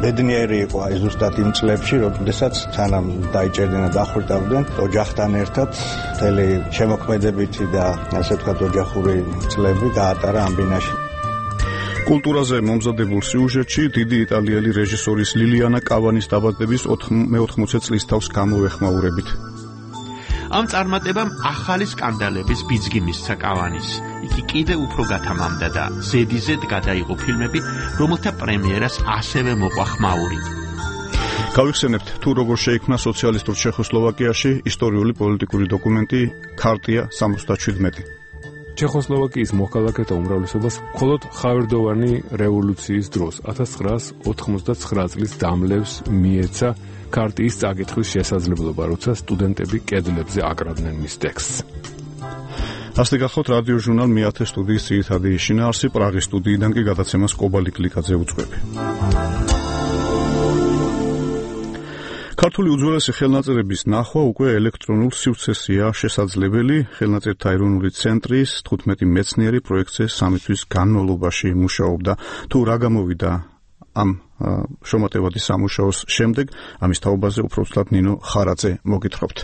ბედნიერი იყო აი ზუსტად იმ წლებში, როდესაც სანამ დაიჭერდნენ და დახვრიტავდნენ ოჯახთან ერთად მთელი შემოქმედებითი და ასე ვთქვათ ოჯახური წლები გაატარა ამ ბინაში. კულტურაზე მომზადებულ სიუჟეტში დიდი იტალიელი რეჟისორის ლილიანა კავანის დაბადების 80 წლის თავს გამოვეხმაურებით. ამ წარმატებამ ახალი სკანდალების ბიძგი მისცა კავანის. იგი კიდევ უფრო გათამამდა და ზედიზედ გადაიღო ფილმები, რომელთა პრემიერას ასევე მოყვა ხმაური. გავიხსენებთ თუ როგორ შეიქმნა სოციალისტურ ჩეხოსლოვაკიაში ისტორიული პოლიტიკური დოკუმენტი ქარტია 77. ჩეხოსლოვაკიის მოქალაქეთა უმრავლესობას მხოლოდ ხავერდოვანი რევოლუციის დროს 1989 წლის დამლევს მიეცა ქარტიის წაკითხვის შესაძლებლობა, როცა სტუდენტები კედლებზე აკრავდნენ მის ტექსტს. ასე გახოთ რადიო ჟურნალ მეათე სტუდიის ძირითადი შინაარსი პრაღის სტუდიიდან კი გადაცემას კობალი კლიკაძე უძღვები. ქართული უძველესი ხელნაწერების ნახვა უკვე ელექტრონულ სივრცესია შესაძლებელი. ხელნაწერთა ეროვნული ცენტრის 15 მეცნიერი პროექტზე 3 თვის განმავლობაში მუშაობდა. თუ რა გამოვიდა ამ შრომატევადი სამუშაოს შემდეგ, ამის თაობაზე უფრო ვსწრაფ ნინო ხარაძე მოგითხრობთ.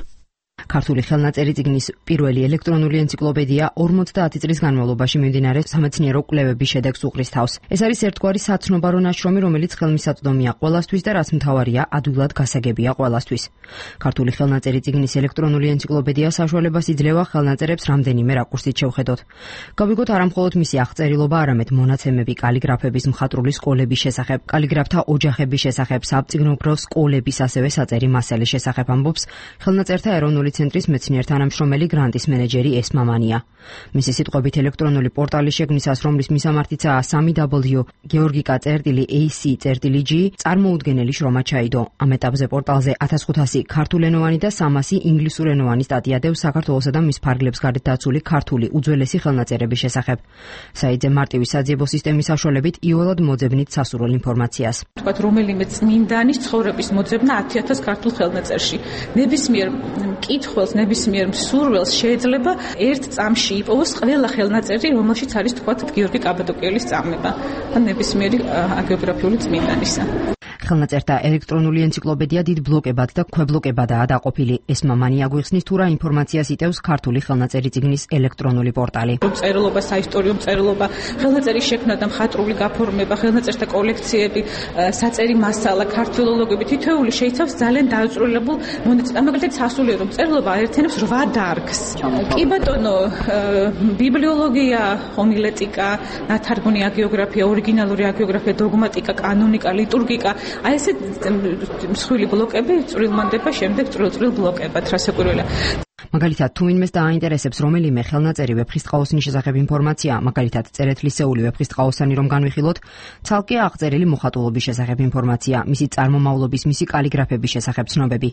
ქართული ხელნაწერი წიგნის პირველი ელექტრონული ენციკლოპედია 50 წლის განმავლობაში მიმდინარე სამეცნიერო კვლევების შედეგს უყრის თავს. ეს არის ერთგვარი საცნობარო ნაშრომი, რომელიც ხელმისაწვდომია ყველასთვის და რაც მთავარია, ადვილად გასაგებია ყველასთვის. ქართული ხელნაწერი წიგნის ელექტრონული ენციკლოპედია საშუალებას იძლევა ხელნაწერებს რამდენიმე რაკურსით შევხედოთ. გავიგოთ არამხოლოდ მისი აღწერილობა, არამედ მონაცემები კალიგრაფების მხატვრული სკოლების შესახებ, კალიგრაფთა ოჯახების შესახებ, საბწიგნობრო სკოლების ასევე საწერი მასალის შესახებ ამბობს ხელნაწერთა ეროვნული ცენტრის მეცნიერ-თანამშრომელი გრანტის მენეჯერი ესმამანია. მისი სიტყვებით ელექტრონული პორტალის შექმნისას, რომლის მისამართიცაა 3W georgika.ac.g წარმოუდგენელი შრომა ჩაიდო. ამ ეტაპზე პორტალზე 1500 ქართულენოვანი და 300 ინგლისურენოვანი სტატია დევს საქართველოსა და მის ფარგლებს გარეთ დაცული ქართული უძველესი ხელნაწერების შესახებ. საიტზე მარტივი საძიებო სისტემის საშუალებით იოლად მოძებნით სასურველ ინფორმაციას. თქვათ რომელიმე წმინდანის ცხოვრების მოძებნა 10000 ქართულ ხელნაწერში. ნებისმიერ მკითხველს, ნებისმიერ მსურველს შეიძლება ერთ წამში იპოვოს ყველა ხელნაწერი, რომელშიც არის თქვათ გიორგი კაბადოკიელის წამება ან ნებისმიერი აგეოგრაფიული წმინდანისა. ხელნაწერთა ელექტრონული ენციკლოპედია დიდ ბლოკებად და ქვებლოკებადაა დაყოფილი. ესმამანი აგვიხსნის თუ რა ინფორმაციას იტევს ქართული ხელნაწერი წიგნის ელექტრონული პორტალი. წერილობა, საისტორიო წერილობა, ხელნაწერის შექმნა და მხატვრული გაფორმება, ხელნაწერთა კოლექციები, საწერი მასალა, ქართველოლოგები, თითოეული შეიცავს ძალიან დაუწვრილებულ მონაცემს. მაგალითად, სასულიერო წერილობა აერთიანებს 8 დარგს. კი ბატონო, ბიბლიოლოგია, ჰომილეტიკა, ნათარგმნი აგეოგრაფია, ორიგინალური აგეოგრაფია, დოგმატიკა, კანონიკა, ლიტურგიკა. აი ესე მსხვილი ბლოკები წვრილმანდება შემდეგ წვრილ ბლოკებად, რასაკვირველია. მაგალითად, თუ ვინმეს დააინტერესებს რომელიმე ხელნაწერი ვეფხისტყაოსნის შესახებ ინფორმაცია, მაგალითად, წერეთლისეული ვეფხისტყაოსანი რომ განვიხილოთ, ცალკე აღწერილი მოხატულობის შესახებ ინფორმაცია, მისი წარმომავლობის, მისი კალიგრაფების შესახებ ცნობები.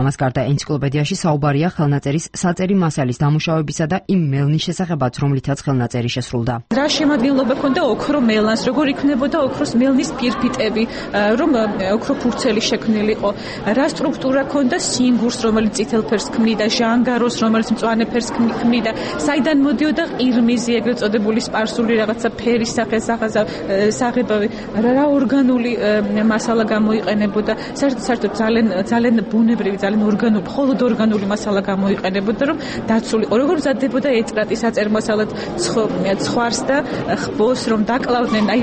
ამას გარდა ენციკლოპედიაში საუბარია ხელნაწერის საწერი მასალის დამუშავებისა და იმ მელნის შესახებაც, რომლითაც ხელნაწერი შესრულდა. რა შემადგენლობა ქონდა ოქრო მელანს, როგორ იქნებოდა ოქროს მელნის ფირფიტები, რომ ოქრო ფურცელი შექმნილიყო, რა სტრუქტურა ქონდა სინგურს, რომელიც წითელ ფერს ქმნიდა, ჟანგაროს, რომელიც მწვანე ფერს ქმნიდა, საიდან მოდიოდა ყირმიზი, ეგრეთ წოდებული სპარსული რაღაცა ფერის საღებავი, რა ორგანული მასალა გამოიყენებოდა, საერთოდ ძალიან ბუნებრივი, ძალიან ორგანული, მხოლოდ ორგანული მასალა გამოიყენებოდა, რომ დაცულიყო, როგორ მზადდებოდა ეტრატი საწერ-მასალად ცხვარს და ხბოს, რომ დაკლავდნენ, აი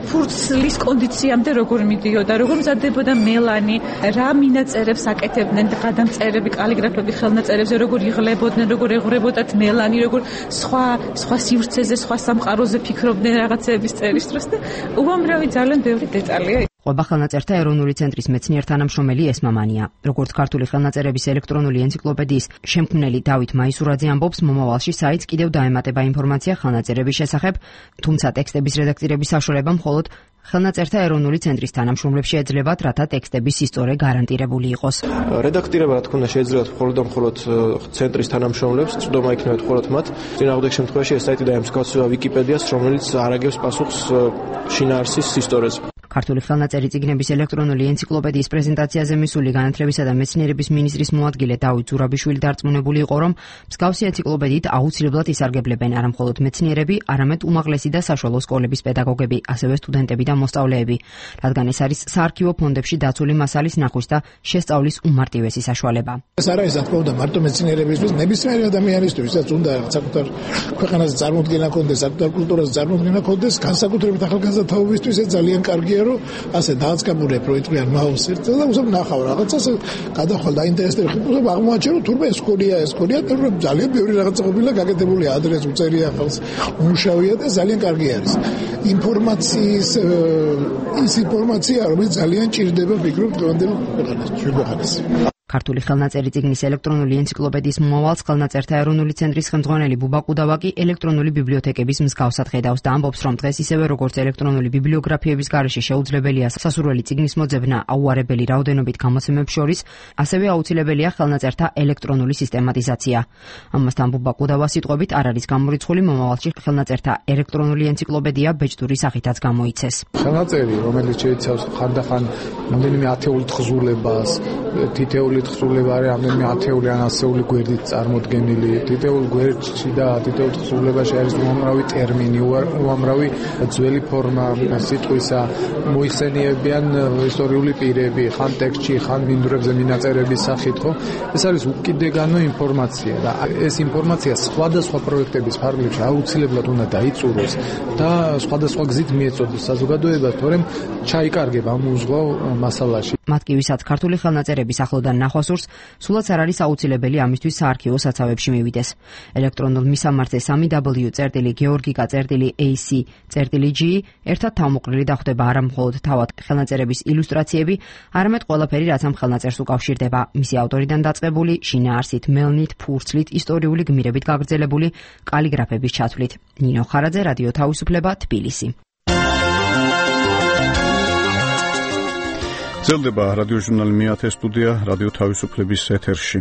ფურცლის კონდიციამდე როგორ მიდიოდა, როგორ მზადდებოდა მელანი, რა მინაწერებს აკეთებდნენ, გადამწერები, კალიგრაფები ხელნაწერებზე, როგორ იღლებოდნენ, როგორ ეღვრებოდათ მელანი, როგორ სხვა სივრცეზე, სხვა სამყაროზე ფიქრობდნენ რაღაცების წერის დროს და უამრავი ძალიან ბევრი დეტალია. ყვება ხელნაწერთა ეროვნული ცენტრის მეცნიერ-თანამშრომელი ესმამანია. როგორც ქართული ხელნაწერების ელექტრონული ენციკლოპედიის შემქმნელი დავით მაისურაძე ამბობს, მომავალში საიტს კიდევ დაემატება ინფორმაცია ხელნაწერების შესახებ, თუმცა ტექსტების რედაქტირების საშუალება მხოლოდ ხელნაწერთა ეროვნული ცენტრის თანამშრომლებს შეეძლებათ, რათა ტექსტების ისტორია გარანტირებული იყოს. რედაქტირება, რა თქმა უნდა, შეეძლებათ მხოლოდ ცენტრის თანამშრომლებს, წვდომა იქნებათ მხოლოდ მათ. წინააღმდეგ შემთხვევაში ეს საიტი დაემსგავსება ვიკიპედიას, რომელიც არ აგებს პასუხს შინაარსის ისტორიაზე. ქართული ხელნაწერი წიგნების ელექტრონული ენციკლოპედიის პრეზენტაციაზე მისული განათლებისა და მეცნიერების მინისტრის მოადგილე დავით ზურაბიშვილი დარწმუნებული იყო, რომ მსგავსი ენციკლოპედიით აუცილებლად ისარგებლებენ არა მხოლოდ მეცნიერები, არამედ უმაღლესი და საშუალო სკოლების პედაგოგები, ასევე სტუდენტები და მოსწავლეები, რადგან ეს არის საარქივო ფონდებში დაცული მასალის ნახვის და შესწავლის უმარტივესი საშუალება. ეს არ არის თქმა უნდა მარტო მეცნიერებისთვის, ნებისმიერი ადამიანისთვის, რაც უნდა საკუთარ ქვეყანაზე წარმოდგენა ქონდეს, საკუთარ კულტურაზე წარმოდგენა ქონდეს, განსაკუთრებით ახალგაზრდაობისთვის ეს ძალიან კარგია, რომ ასე დააწყებულებ რო იტყვიან მაუსერთ და უზომ ნახავ რაღაცას გადახვალ დაინტერესდება უზომ აღმოაჩენ რომ თურმე ესკოლია რომ ძალიან ბევრი რაღაცა ყოფილა გაკეთებული ადრეს უწერია ხალხს უმუშავია და ძალიან კარგი არის ის ინფორმაცია რომელიც ძალიან ჭირდება ვფიქრობ დღევანდელ ქვეყანას ქართული ხელნაწერი წიგნის ელექტრონული ენციკლოპედიის მომავალს ხელნაწერთა ეროვნული ცენტრის ხელმძღვანელი ბუბა ყუდავაკი ელექტრონული ბიბლიოთეკების მსგავსად ხედავს და ამბობს, რომ დღეს ისევე როგორც ელექტრონული ბიბლიოგრაფიების გარეშე შეუძლებელია სასურველი წიგნის მოძებნა აუარებელი რაოდენობით გამოცემებს შორის, ასევე აუცილებელია ხელნაწერთა ელექტრონული სისტემატიზაცია. ამასთან ბუბა ყუდავა სიტყვებით არ არის გამორიცხული მომავალში ხელნაწერთა ელექტრონული ენციკლოპედია ბეჭდური სახითაც გამოიცეს. ხელნაწერი, რომელიც შეიცავს ხანდახან რამდენიმე ათეული თხზულებას, თითეული თხზულება არის რამდენიმე ათეული ან ასეული გვერდით წარმოდგენილი. თითოეულ გვერდში და თითოეულ თხზულებაში არის უამრავი ტერმინი, უამრავი ძველი ფორმა სიტყვისა, მოიხსენიებიან ისტორიული პირები, ხან ტექსტში, ხან მინდვრებზე მინაწერების სახით, ხო? ეს არის უკიდეგანო ინფორმაცია და ეს ინფორმაცია სხვადასხვა პროექტების ფარგლებში აუცილებლად უნდა დაიწუროს და სხვადასხვა გზით მიეწოდოს საზოგადოებას, თორემ ჩაიკარგება ამ უზღვაო მასალაში. მათ კი ვისაც ქართული ხელნაწერების ახლოდან ნახვასურს, სულაც არ არის აუცილებელი ამისთვის საარქივო საცავებში მივიდეს. ელექტრონულ მისამართზე www.ac.ac.g ერთად თავმოყრილი დახვდება არა მხოლოდ თავად ხელნაწერების ილუსტრაციები, არამედ ყველაფერი, რაც ამ ხელნაწერს უკავშირდება, მისი ავტორიდან დაწყებული, შინაარსით, მელნით, ფურცლით, ისტორიული გმირებით გაგრძელებული კალიგრაფების ჩათვლით. ნინო ხარაძე, რადიო თავისუფლება, თბილისი. ძლდება რადიოჟურნალი მეათე სტუდია რადიო თავისუფლების ეთერში.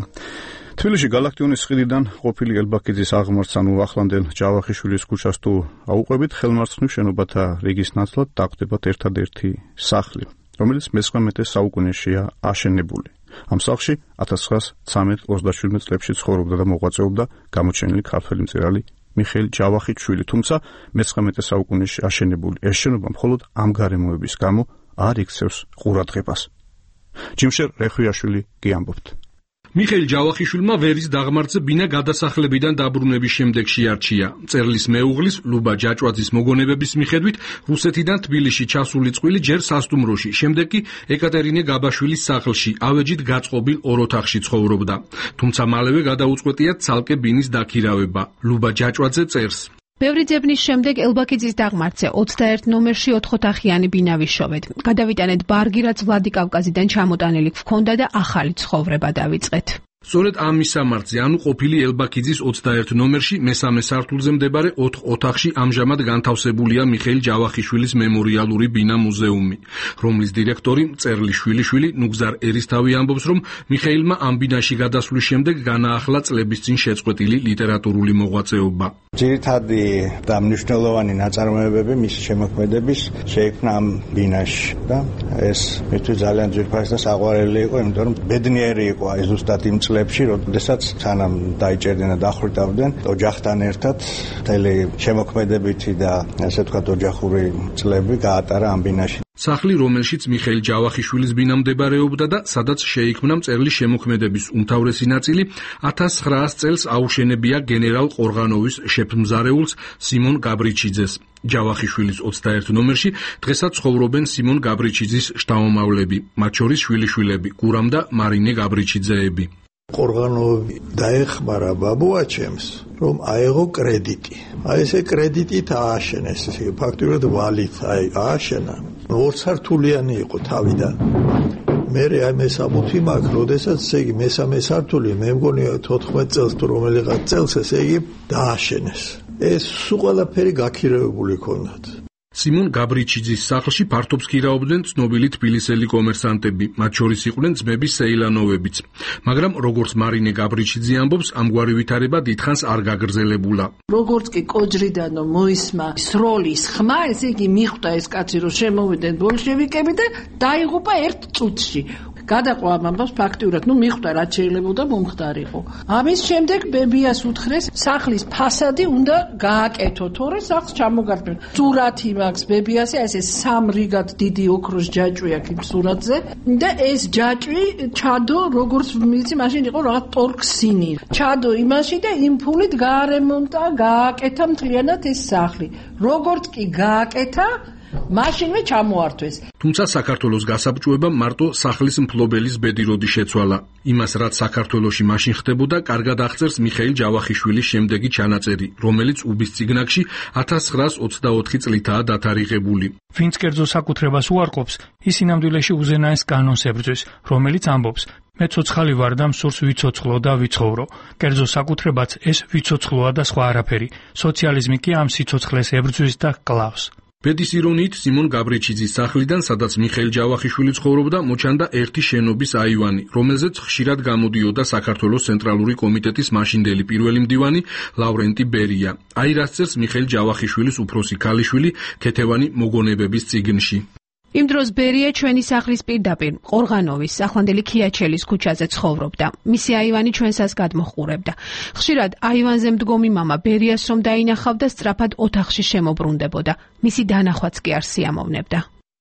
თბილისში გალაქტიონის ხიდიდან ყოფილი ელბაქიძის აღმართს ანუ ახლანდელ ჯავახიშვილის ქუჩას თუ აუყვებით, ხელმარცხნივ შენობათა რიგის ნაცვლად დაგვდებათ ერთადერთი სახლი, რომელიც მე-19 საუკუნეშია აშენებული. ამ სახლში 1913-27 წლებში ცხოვრობდა და მოღვაწეობდა გამოჩენილი ქართველი მწერალი მიხეილ ჯავახიშვილი, თუმცა მე-19 საუკუნეში აშენებული ეს შენობა მხოლოდ ამ გარემოების გამო არ იქცევს ყურადღებას. ჯიმშერ რეხვიაშვილი გიამბობთ. მიხეილ ჯავახიშვილმა ვერის დაღმართზე ბინა გადასახლებიდან დაბრუნების შემდეგ შეარჩია. მწერლის მეუღლის ლუბა ჯაჭვაძის მოგონებების მიხედვით რუსეთიდან თბილისში ჩასული წყვილი ჯერ სასტუმროში, შემდეგ კი ეკატერინე გაბაშვილის სახლში, ავეჯით გაწყობილ ორ ოთახში ცხოვრობდა. თუმცა მალევე გადაუწყვეტია ცალკე ბინის დაქირავება. ლუბა ჯაჭვაძე წერს: ბევრი ძებნის შემდეგ ელბაქიძის დაღმართზე 21 ნომერში 4 ოთახიანი ბინა ვიშოვეთ. გადავიტანეთ ბარგი, რაც ვლადი კავკაზიდან ჩამოტანილი გვქონდა და ახალი ცხოვრება დავიწყეთ. სწორედ ამ მისამართზე, ანუ ყოფილი ელბაქიძის 21 ნომერში მესამე სართულზე მდებარე 4 ოთახში ამჟამად განთავსებულია მიხეილ ჯავახიშვილის მემორიალური ბინა მუზეუმი, რომლის დირექტორი მწერლის შვილიშვილი ნუგზარ ერისთავი ამბობს, რომ მიხეილმა ამ ბინაში გადასვლის შემდეგ განაახლა წლების წინ შეწყვეტილი ლიტერატურული მოღვაწეობა. ძირითადი და მნიშვნელოვანი ნაწარმოებები მისი შემოქმედების შეიქმნა ამ ბინაში და ეს მისთვის ძალიან ძვირფასი და საყვარელი იყო, იმიტომ რომ ბედნიერი იყო აი ზუსტად იმ წლებში, როდესაც სანამ დაიჭერდნენ და დახვრიტავდნენ ოჯახთან ერთად მთელი შემოქმედებითი და ასე ვთქვათ ოჯახური წლები გაატარა ამ ბინაში. სახლი, რომელშიც მიხეილ ჯავახიშვილის ბინა მდებარეობდა და სადაც შეიქმნა მწერლის შემოქმედების უმთავრესი ნაწილი, 1900 წელს აუშენებია გენერალ ყორღანოვის შეფმზარეულს სიმონ გაბრიჩიძეს. ჯავახიშვილის 21 ნომერში დღესაც ცხოვრობენ სიმონ გაბრიჩიძის შთამომავლები, მათ შორის შვილიშვილები გურამ და მარინე გაბრიჩიძეები. ყორღანოვი დაეხმარა ბაბუაჩემს, რომ აეღო კრედიტი. აი ესე კრედიტით ააშენეს, ფაქტობრივად ვალით ააშენა. ორსართულიანი იყო თავიდან. მე აი მესამუთი მაქვს, როდესაც ესე იგი მესამე სართული, მე მგონი 14 წელს თუ რომელიღაც წელს ესე იგი დააშენეს. ეს სულ ყველაფერი გაქირეებული ჰქონდათ. სიმონ გაბრიჩიძის სახლში ფართობს ქირაობდნენ ცნობილი თბილისელი კომერსანტები, მათ შორის იყვნენ ძმები სეილანოვებიც. მაგრამ როგორც მარინე გაბრიჩიძე ამბობს, ამგვარი ვითარება დიდხანს არ გაგრძელებულა. როგორც კი კოჯრიდანო მოისმა სროლის ხმა, ესე იგი მიხვდა ეს კაცი, რომ შემოვიდნენ ბოლშევიკები და დაიღუპა ერთ წუთში. გადაყვა ამ ამბავს ფაქტიურად, მიხვდა რაც შეიძლებოდა მომხდარიყო. ამის შემდეგ ბებიას უთხრეს, სახლის ფასადი უნდა გააკეთო, თორე სახლს ჩამოგარდნენ. სურათი მაქვს ბებიასე, ესე 3 რიგად დიდი ოქროს ჯაჭვი აქვს იმ სურათზე და ეს ჯაჭვი ჩადო, როგორც ვიცი, მაშინ იყო რაღაც ტორქსინი. ჩადო იმაში და იმ ფულით გაარემონტა, გააკეთა მთლიანად ეს სახლი. როგორც კი გააკეთა, მაშინვე ჩამოართვეს. თუმცა საქართველოს გასაბჭოებამ მარტო სახლის მფლობელის ბედი როდი შეცვალა. იმას, რაც საქართველოში მაშინ ხდებოდა, კარგად აღწერს მიხეილ ჯავახიშვილის შემდეგი ჩანაწერი, რომელიც უბის წიგნაკში 1924 წლითაა დათარიღებული. ვინც კერძო საკუთრებას უარყოფს, ის ინამდვილეში უზენაეს კანონს ებრძვის, რომელიც ამბობს: მე ცოცხალი ვარ და მსურს ვიცოცხლო და ვიცხოვრო. კერძო საკუთრებაც ეს ვიცოცხლოა და სხვა არაფერი. სოციალიზმი კი ამ სიცოცხლეს ებრძვის და კლავს. ბედის ირონიით სიმონ გაბრიჩიძის სახლიდან, სადაც მიხეილ ჯავახიშვილი ცხოვრობდა, მოჩანდა ერთი შენობის აივანი, რომელზეც ხშირად გამოდიოდა საქართველოს ცენტრალური კომიტეტის მაშინდელი პირველი მდივანი ლავრენტი ბერია. აი რაც წერს მიხეილ ჯავახიშვილის უფროსი ქალიშვილი ქეთევანი მოგონებების წიგნში. იმ დროს ბერია ჩვენი სახლის პირდაპირ ყორღანოვის ახლანდელი ქიაჩელის ქუჩაზე ცხოვრობდა. მისი აივანი ჩვენსაც გადმოჰყურებდა. ხშირად აივანზე მდგომი მამა ბერიას რომ დაინახავდა, სწრაფად ოთახში შემოbrunდებოდა. მისი დანახვაც კი არ სიამოვნებდა.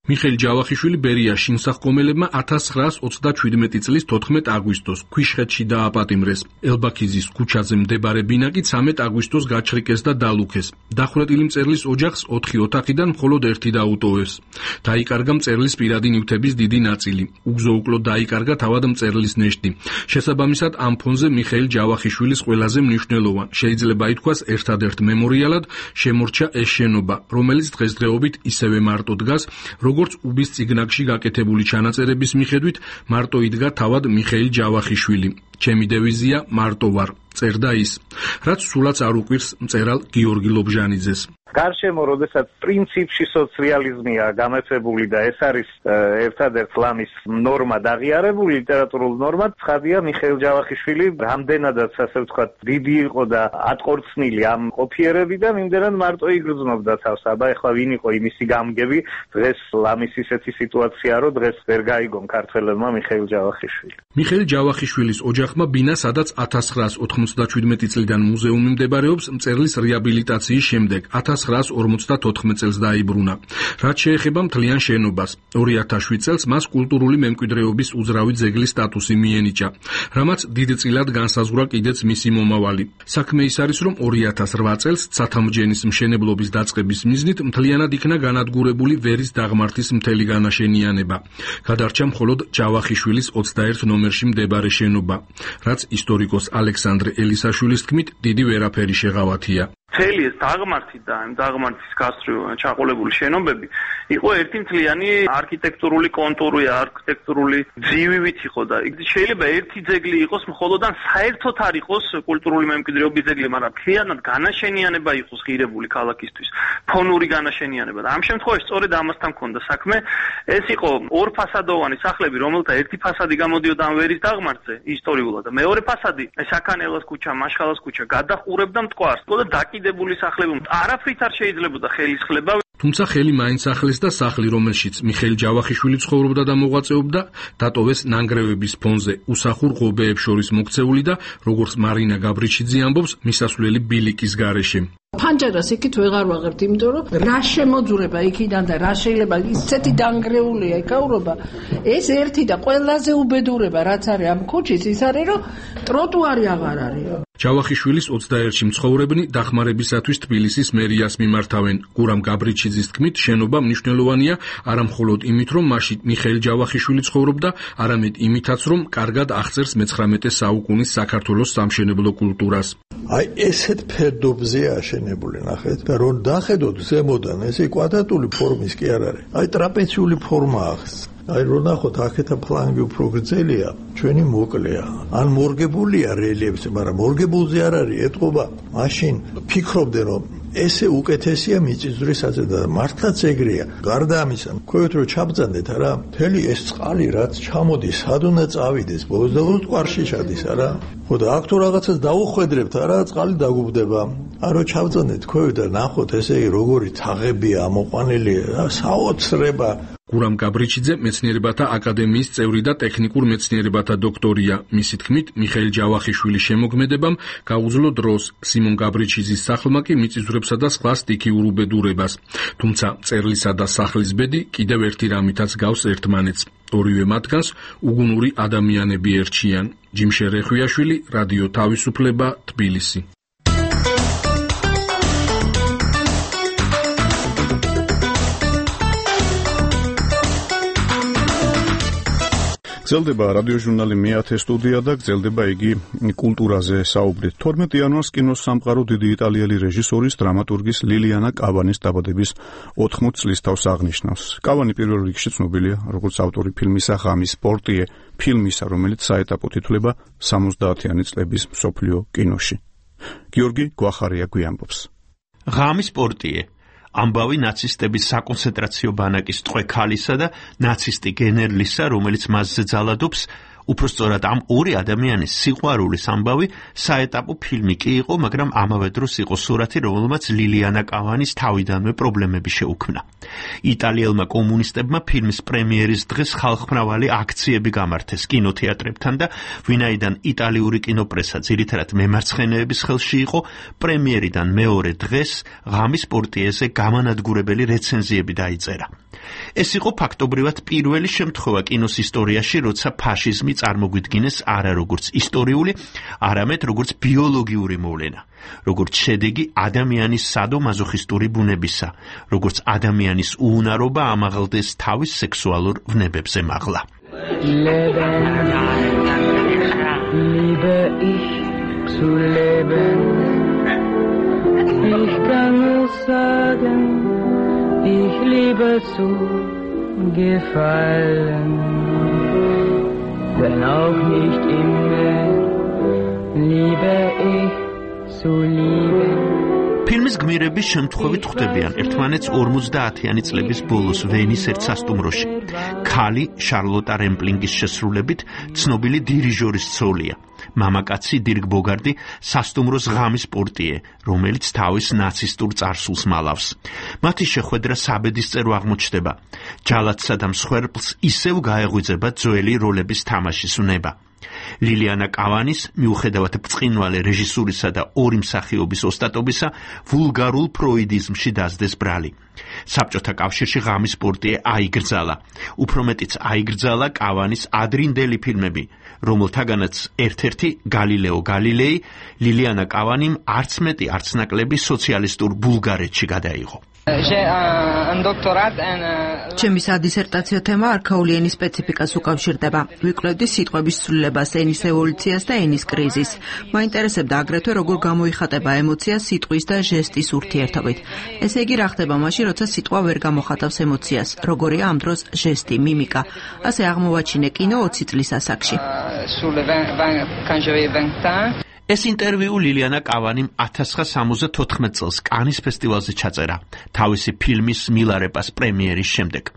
მიხეილ ჯავახიშვილი ბერია შინსახკომელებმა 1927 წლის 14 აგვისტოს ქვიშხეთში დააპატიმრეს. ელბაქიძის ქუჩაზე მდებარე ბინა კი 13 აგვისტოს გაჩრიკეს და დალუქეს. დახვრეტილი მწერლის ოჯახს 4 ოთახიდან მხოლოდ ერთი დაუტოვეს. დაიკარგა მწერლის პირადი ნივთების დიდი ნაწილი. უგზო-უკლოდ დაიკარგა თავად მწერლის ნეშტი. შესაბამისად, ამ ფონზე მიხეილ ჯავახიშვილის ყველაზე მნიშვნელოვან, შეიძლება ითქვას ერთადერთ მემორიალად შემორჩა ეს შენობა, რომელიც დღესდღეობით ისევე მარტო დგას, როგორც უბის წიგნაკში გაკეთებული ჩანაწერების მიხედვით, მარტო იდგა თავად მიხეილ ჯავახიშვილი. ჩემი დევიზია მარტო ვარ, წერდა ის, რაც სულაც არ უყვირს მწერალ გიორგი ლობჟანიძეს. გარშემო, როდესაც პრინციპში სოციალიზმია გამეცებული და ეს არის ერთადერთ ლამის ნორმა დაღიარებული, ლიტერატურულ ნორმა, ცხადია მიხეილ ჯავახიშვილი რამდენადაც ასე ვთქვათ დიდი იყო და ატყორცნილი ამ ყოფიერებიდან, იმდენად მარტო იგრძნობდა თავს. აბა ეხლა ვინ იყო იმისი გამგები, დღეს ლამის ისეთი სიტუაცია, რომ დღეს ვერ გაიგონ ქართველებმა მიხეილ ჯავახიშვილი. მიხეილ ჯავახიშვილის ოჯახმა ბინა, სადაც 1997 წლიდან მუზეუმი მდებარეობს, მწერლის რეაბილიტაციის შემდეგ 1954 წელს დაიბრუნა. რაც შეეხება მთლიან შენობას, 2007 წელს მას კულტურული მემკვიდრეობის უძრავი ძეგლის სტატუსი მიენიჭა, რამაც დიდწილად განსაზღვრა კიდეც მისი მომავალი. საქმე ის არის, რომ 2008 წელს ცათამბჯენის მშენებლობის დაწყების მიზნით მთლიანად იქნა განადგურებული ვერის დაღმართის მთელი განაშენიანება. გადარჩა მხოლოდ ჯავახიშვილის 21 ნომერში მდებარე შენობა, რაც ისტორიკოს ალექსანდრე ელისაშვილის თქმით დიდი ვერაფერი შეღავათია. მთელი ეს დაღმართი და ამ დაღმართის გასწვრივ ჩაყოლებული შენობები იყო ერთი მთლიანი არქიტექტურული კონტური, არქიტექტურული ძივივით იყო და შეიძლება ერთი ძეგლი იყოს მხოლოდ ან საერთოდ არ იყოს კულტურული მემკვიდრეობის ძეგლი, მაგრამ მთლიანად განაშენიანება იყოს ღირებული ქალაქისთვის, ფონური განაშენიანება. და ამ შემთხვევაში სწორედ ამასთან ჰქონდა საქმე. ეს იყო ორფასადოვანი სახლები, რომელთა ერთი ფასადი გამოდიოდა ამ ვერის დაღმართზე ისტორიულად და მეორე ფასადი საქანელას ქუჩა, მაშხალას ქუჩა გადაყურებდა მტკვარს. და დაკიდებული სახლები არაფრით არ შეიძლებოდა ხელისხლება. თუმცა ხელი მაინც ახლეს და სახლი, რომელშიც მიხეილ ჯავახიშვილი ცხოვრობდა და მოღვაწეობდა, დატოვეს ნანგრევების ფონზე უსახურ ღობეებს შორის მოქცეული და როგორც მარინა გაბრიჩიძე ამბობს, მისასვლელი ბილიკის გარეშე. ფანჯარას იქით ვეღარ ვაღებთ, იმიტომ რომ რა შემოძურება იქიდან და რა შეიძლება ისეთი დანგრეულია ეკავრობა. ეს ერთი და ყველაზე უბედურება რაც არის ამ ქუჩის ის არის რომ ტროტუარი აღარ არის. ჯავახიშვილის 21-ში მცხოვრებნი დახმარებისათვის თბილისის მერიას მიმართავენ. გურამ გაბრიჩიძის თქმით, შენობა მნიშვნელოვანია არა მხოლოდ იმით, რომ მასში მიხეილ ჯავახიშვილი ცხოვრობდა, არამედ იმითაც, რომ კარგად აღწერს მე-19 საუკუნის საქართველოს სამშენებლო კულტურას. აი ესეთ ფერდობზე აშენებული ნახეთ და რომ დახედოთ ზემოდან ესე კვადრატული ფორმის კი არ არის. აი ტრაპეციული ფორმა აქვს. აი რო ნახოთ აქეთა ფლანგი უფრო გრძელია, ჩვენი მოკლეა. ან მორგებულია რელიეფზე, მაგრამ მორგებულზე არ არის ეტყობა. მაშინ ფიქრობდნენ რომ ესე უკეთესია მიწისძვრისაზე და მართლაც ეგრეა. გარდა ამისა, ქვევით რომ ჩაბძანდეთ არა, მთელი ეს წყალი რაც ჩამოდის, სად უნდა წავიდეს, ბოლოს და ბოლოს მტკვარში ჩადის არა? ხო და აქ თუ რაღაცას დაუხვედრებთ არა, წყალი დაგუბდება. არ რო ჩაბძანდეთ ქვევით და ნახოთ ესე როგორი თაღებია ამოყვანილი, საოცრება. გურამ გაბრიჩიძე მეცნიერებათა აკადემიის წევრი და ტექნიკურ მეცნიერებათა დოქტორია. მისი თქმით, მიხეილ ჯავახიშვილის შემოქმედებამ გაუძლო დროს, სიმონ გაბრიჩიძის სახლმა კი მიწისძვრებსა და სხვა სტიქიურ უბედურებას. თუმცა მწერლისა და სახლის ბედი კიდევ ერთი რამითაც გავს ერთმანეთს. ორივე მათგანს უგუნური ადამიანები ერჩიან. ჯიმშე რეხვიაშვილი, რადიო თავისუფლება, თბილისი. გრძელდება რადიოჟურნალი მე-10 სტუდია და გრძელდება იგი კულტურაზე საუბრით. 12 იანვარს კინოს სამყარო დიდი იტალიელი რეჟისორის, დრამატურგის ლილიანა კავანის დაბადების 80 წლისთავს აღნიშნავს. კავანი პირველ რიგში ცნობილია როგორც ავტორი ფილმისა ღამის პორტიე, ფილმისა, რომელიც საეტაპოდ ითვლება 70-იანი წლების მსოფლიო კინოში. გიორგი გვახარია გვიამბობს. ღამის პორტიე ამბავი ნაცისტების საკონცენტრაციო ბანაკის ტყვე ქალისა და ნაცისტი გენერლისა, რომელიც მასზე ძალადობს, უფრო სწორად ამ ორი ადამიანის სიყვარულის ამბავი საეტაპო ფილმი კი იყო, მაგრამ ამავე დროს იყო სურათი, რომელმაც ლილიანა კავანის თავიდანვე პრობლემები შეუქმნა. იტალიელმა კომუნისტებმა ფილმის პრემიერის დღეს ხალხმრავალი აქციები გამართეს კინოთეატრებთან და ვინაიდან იტალიური კინოპრესა ძირითადად მემარცხენეების ხელში იყო, პრემიერიდან მეორე დღეს ღამის პორტიეზე გამანადგურებელი რეცენზიები დაიწერა. ეს იყო ფაქტობრივად პირველი შემთხვევა კინოს ისტორიაში, როცა ფაშიზმი წარმოგვიდგინეს არა როგორც ისტორიული, არამედ როგორც ბიოლოგიური მოვლენა, როგორც შედეგი ადამიანის სადო-მაზოხისტური ბუნებისა, როგორც ადამიანის უუნარობა ამაღლდეს თავის სექსუალურ ვნებებზე მაღლა. Liebe ich zu leben, ich kann nur sagen, ich liebe zu gefallen, wenn auch nicht immer liebe ich zu lieben. ფილმის გმირები შემთხვევით ხვდებიან ერთმანეთს 50-იანი წლების ბოლოს ვენის ერთ სასტუმროში. ქალი შარლოტა რემპლინგის შესრულებით ცნობილი დირიჟორის ცოლია. მამაკაცი დირკ ბოგარდი სასტუმროს ღამის პორტიე, რომელიც თავის ნაცისტურ წარსულს მალავს. მათი შეხვედრა საბედისწერო აღმოჩნდება. ჯალათსა და მსხვერპლს ისევ გაეღვიძება ძველი როლების თამაშის უნება. ლილიანა კავანის მიუხედავად ბრწყინვალე რეჟისურისა და ორი მსახიობის ოსტატობისა ვულგარულ ფროიდიზმში დასდეს ბრალი. საბჭოთა კავშირში ღამის პორტიე აიგრძალა. უფრო მეტიც აიგრძალა კავანის ადრინდელი ფილმები, რომელთაგანაც ერთ-ერთი გალილეო გალილეი ლილიანა კავანიმ არც მეტი არც ნაკლები სოციალისტურ ბულგარეთში გადაიღო. ჩემი სადისერტაციო თემა არქაული ენის სპეციფიკას უკავშირდება. ვიკვლევდი სიტყვების ცვლილებას, ენის ევოლუციას და ენის კრიზისს. მაინტერესებდა აგრეთვე როგორ გამოიხატება ემოცია სიტყვის და ჟესტის ურთიერთობით. ესე იგი რა ხდება მაშინ, როცა სიტყვა ვერ გამოხატავს ემოციას, როგორია ამ დროს ჟესტი, მიმიკა. ასე აღმოვაჩინე კინო 20 წლის ასაკში. ეს ინტერვიუ ლილიანა კავანიმ 1974 წელს კანის ფესტივალზე ჩაწერა, თავისი ფილმის მილარეპას პრემიერის შემდეგ.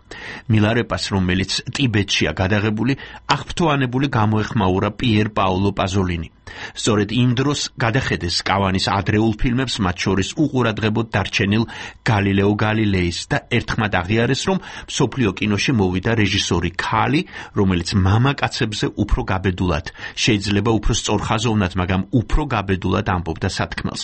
მილარეპას, რომელიც ტიბეტშია გადაღებული, აღფრთოვანებული გამოეხმაურა პიერ პაოლო პაზოლინი. სწორედ იმ დროს გადახედეს კავანის ადრეულ ფილმებს, მათ შორის უყურადღებოდ დარჩენილ გალილეო გალილეის და ერთხმად აღიარეს, რომ მსოფლიო კინოში მოვიდა რეჟისორი ქალი, რომელიც მამაკაცებზე უფრო გაბედულად, შეიძლება უფრო სწორხაზოვნად, მაგრამ უფრო გაბედულად ამბობდა სათქმელს.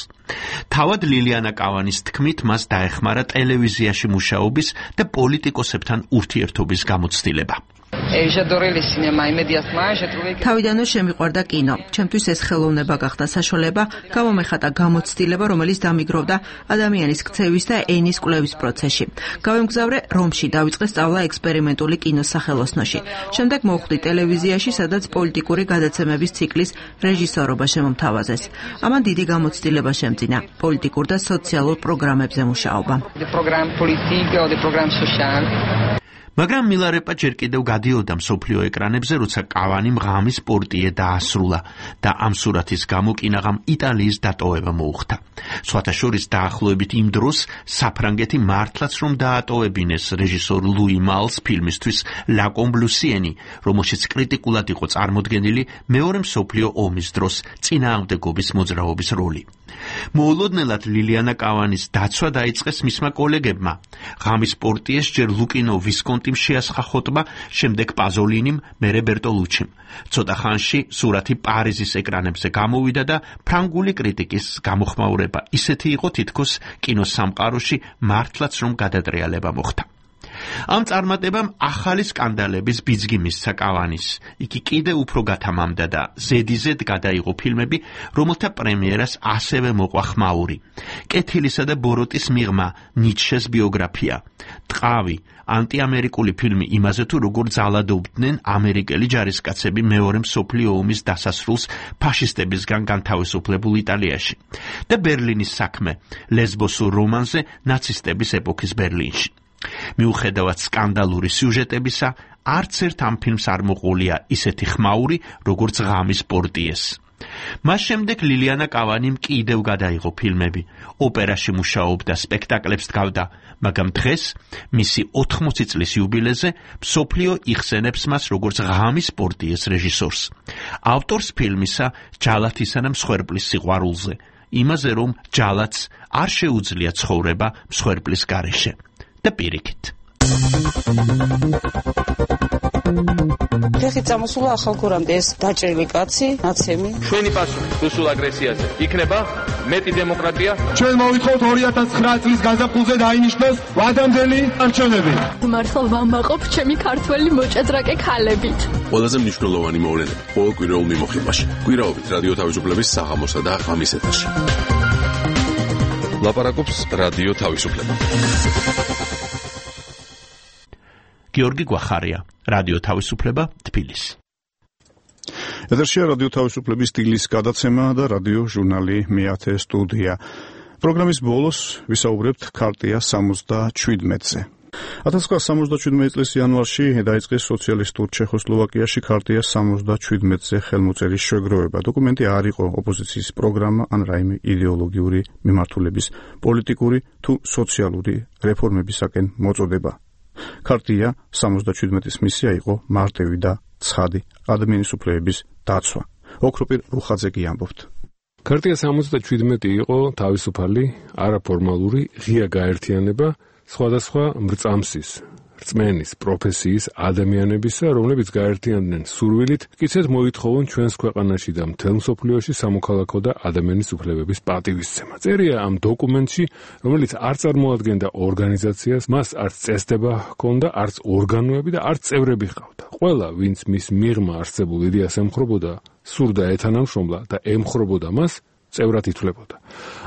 თავად ლილიანა კავანის თქმით, მას დაეხმარა ტელევიზიაში მუშაობის და პოლიტიკოსებთან ურთიერთობის გამოცდილება. თავიდანვე შემიყვარდა კინო. ჩემთვის ეს ხელოვნება გახდა საშუალება, გამომეხატა გამოცდილება, რომელიც დამიგროვდა ადამიანის ქცევის და ენის კვლევის პროცესში. გავემგზავრე რომში, დავიწყე სწავლა ექსპერიმენტული კინოს სახელოსნოში. შემდეგ მოვხვდი ტელევიზიაში, სადაც პოლიტიკური გადაცემების ციკლის რეჟისორობა შემომთავაზეს. ამან დიდი გამოცდილება შემძინა, პოლიტიკურ და სოციალურ პროგრამებზე მუშაობა. მაგრამ მილარეპა ჯერ კიდევ გადიოდა მსოფლიო ეკრანებზე, როცა კავანიმ ღამის პორტიე დაასრულა და ამ სურათის გამო კინაღამ იტალიის დატოვება მოუხდა. სხვათა შორის დაახლოებით იმ დროს საფრანგეთი მართლაც რომ დაატოვებინეს რეჟისორ ლუი მალს ფილმისთვის ლა კომბლუსიენი, რომელშიც კრიტიკულად იყო წარმოდგენილი მეორე მსოფლიო ომის დროს წინააღმდეგობის მოძრაობის როლი. მოულოდნელად ლილიანა კავანის დაცვა დაიწყეს მისმა კოლეგებმა. ღამის პორტიეს ჯერ ლუკინო ვისკონტიმ შეასხა ხოტბა, შემდეგ პაზოლინიმ, მერე ბერტოლუჩიმ. ცოტა ხანში სურათი პარიზის ეკრანებზე გამოვიდა და ფრანგული კრიტიკის გამოხმაურება ისეთი იყო, თითქოს კინოსამყაროში მართლაც რომ გადატრიალება მოხდა. ამ წარმატებამ ახალი სკანდალების ბიძგი მისცა კავანის. იგი კიდევ უფრო გათამამდა და ზედიზედ გადაიღო ფილმები, რომელთა პრემიერას ასევე მოყვა ხმაური. კეთილისა და ბოროტის მიღმა, ნიცშეს ბიოგრაფია, ტყავი, ანტიამერიკული ფილმი იმაზე თუ როგორ ძალადობდნენ ამერიკელი ჯარისკაცები მეორე მსოფლიო ომის დასასრულს ფაშისტებისგან განთავისუფლებულ იტალიაში და ბერლინის საქმე, ლესბოსურ რომანზე ნაცისტების ეპოქის ბერლინში. მიუხედავად სკანდალური სიუჟეტებისა, არც ერთ ამ ფილმს არ მოყოლია ისეთი ხმაური, როგორც ღამის პორტიეს. მას შემდეგ ლილიანა კავანიმ კიდევ გადაიღო ფილმები, ოპერაში მუშაობდა, სპექტაკლებს დგავდა, მაგრამ დღეს, მისი 80 წლის იუბილეზე, მსოფლიო იხსენებს მას როგორც ღამის პორტიეს რეჟისორს. ავტორს ფილმისა ჯალათისა და მსხვერპლის სიყვარულზე, იმაზე რომ ჯალათს არ შეუძლია ცხოვრება მსხვერპლის გარეშე. და პირიქით. ფეხით წამოსულა ახალგორამდე ეს დაჭრილი კაცი, ნაცემი. ჩვენი პასუხი რუსულ აგრესიაზე იქნება მეტი დემოკრატია. ჩვენ მოვითხოვთ 2009 წლის გაზაფხულზე დაინიშნოს ვადამდელი არჩევნები. მართლა ვამაყობ ჩემი ქართველი მოჭადრაკე ქალებით. ყველაზე მნიშვნელოვანი მოვლენები ყოველ კვირაულ მიმოხილვაში. კვირაობით რადიო თავისუფლების საღამოსა და ღამის ეთერში. ლაპარაკობს რადიო თავისუფლება. გიორგი გვახარია, რადიო თავისუფლება, თბილისი. ეთერშია რადიო თავისუფლების სტილის გადაცემა და რადიო ჟურნალი მეათე სტუდია. პროგრამის ბოლოს ვისაუბრებთ ქარტია 77-ზე. 1977 წლის იანვარში დაიწყეს სოციალისტურ ჩეხოსლოვაკიაში ქარტია 77-ზე ხელმოწერის შეგროვება. დოკუმენტი არ იყო ოპოზიციის პროგრამა ან რაიმე იდეოლოგიური მიმართულების პოლიტიკური თუ სოციალური რეფორმებისაკენ მოწოდება. ქარტია 77-ის მისია იყო მარტივი და ცხადი ადამიანის უფლებების დაცვა. ოქროპირ რუხაძე კი ამბობთ. ქარტია 77 იყო თავისუფალი, არაფორმალური, ღია გაერთიანება სხვადასხვა მრწამსის, რწმენის, პროფესიის ადამიანებისა, რომლებიც გაერთიანდნენ სურვილით, კიცეთ მოითხოვონ ჩვენს ქვეყანაში და მთელ მსოფლიოში სამოქალაქო და ადამიანის უფლებების პატივისცემა. წერია ამ დოკუმენტში, რომელიც არ წარმოადგენდა ორგანიზაციას, მას არც წესდება ჰქონდა, არც ორგანოები და არც წევრები ჰყავდა. ყველა, ვინც მის მიღმა არსებულ იდეას ემხრობოდა, სურდა ეთანამშრომლა და ემხრობოდა მას, წევრად ითვლებოდა.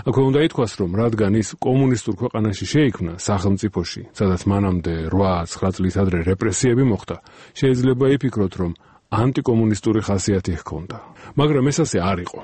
აქვე უნდა ითქვას, რომ რადგან ის კომუნისტურ ქვეყანაში შეიქმნა, სახელმწიფოში, სადაც მანამდე 8-9 წლის ადრე რეპრესიები მოხდა, შეიძლება იფიქროთ, რომ ანტიკომუნისტური ხასიათი ჰქონდა. მაგრამ ეს ასე არ იყო.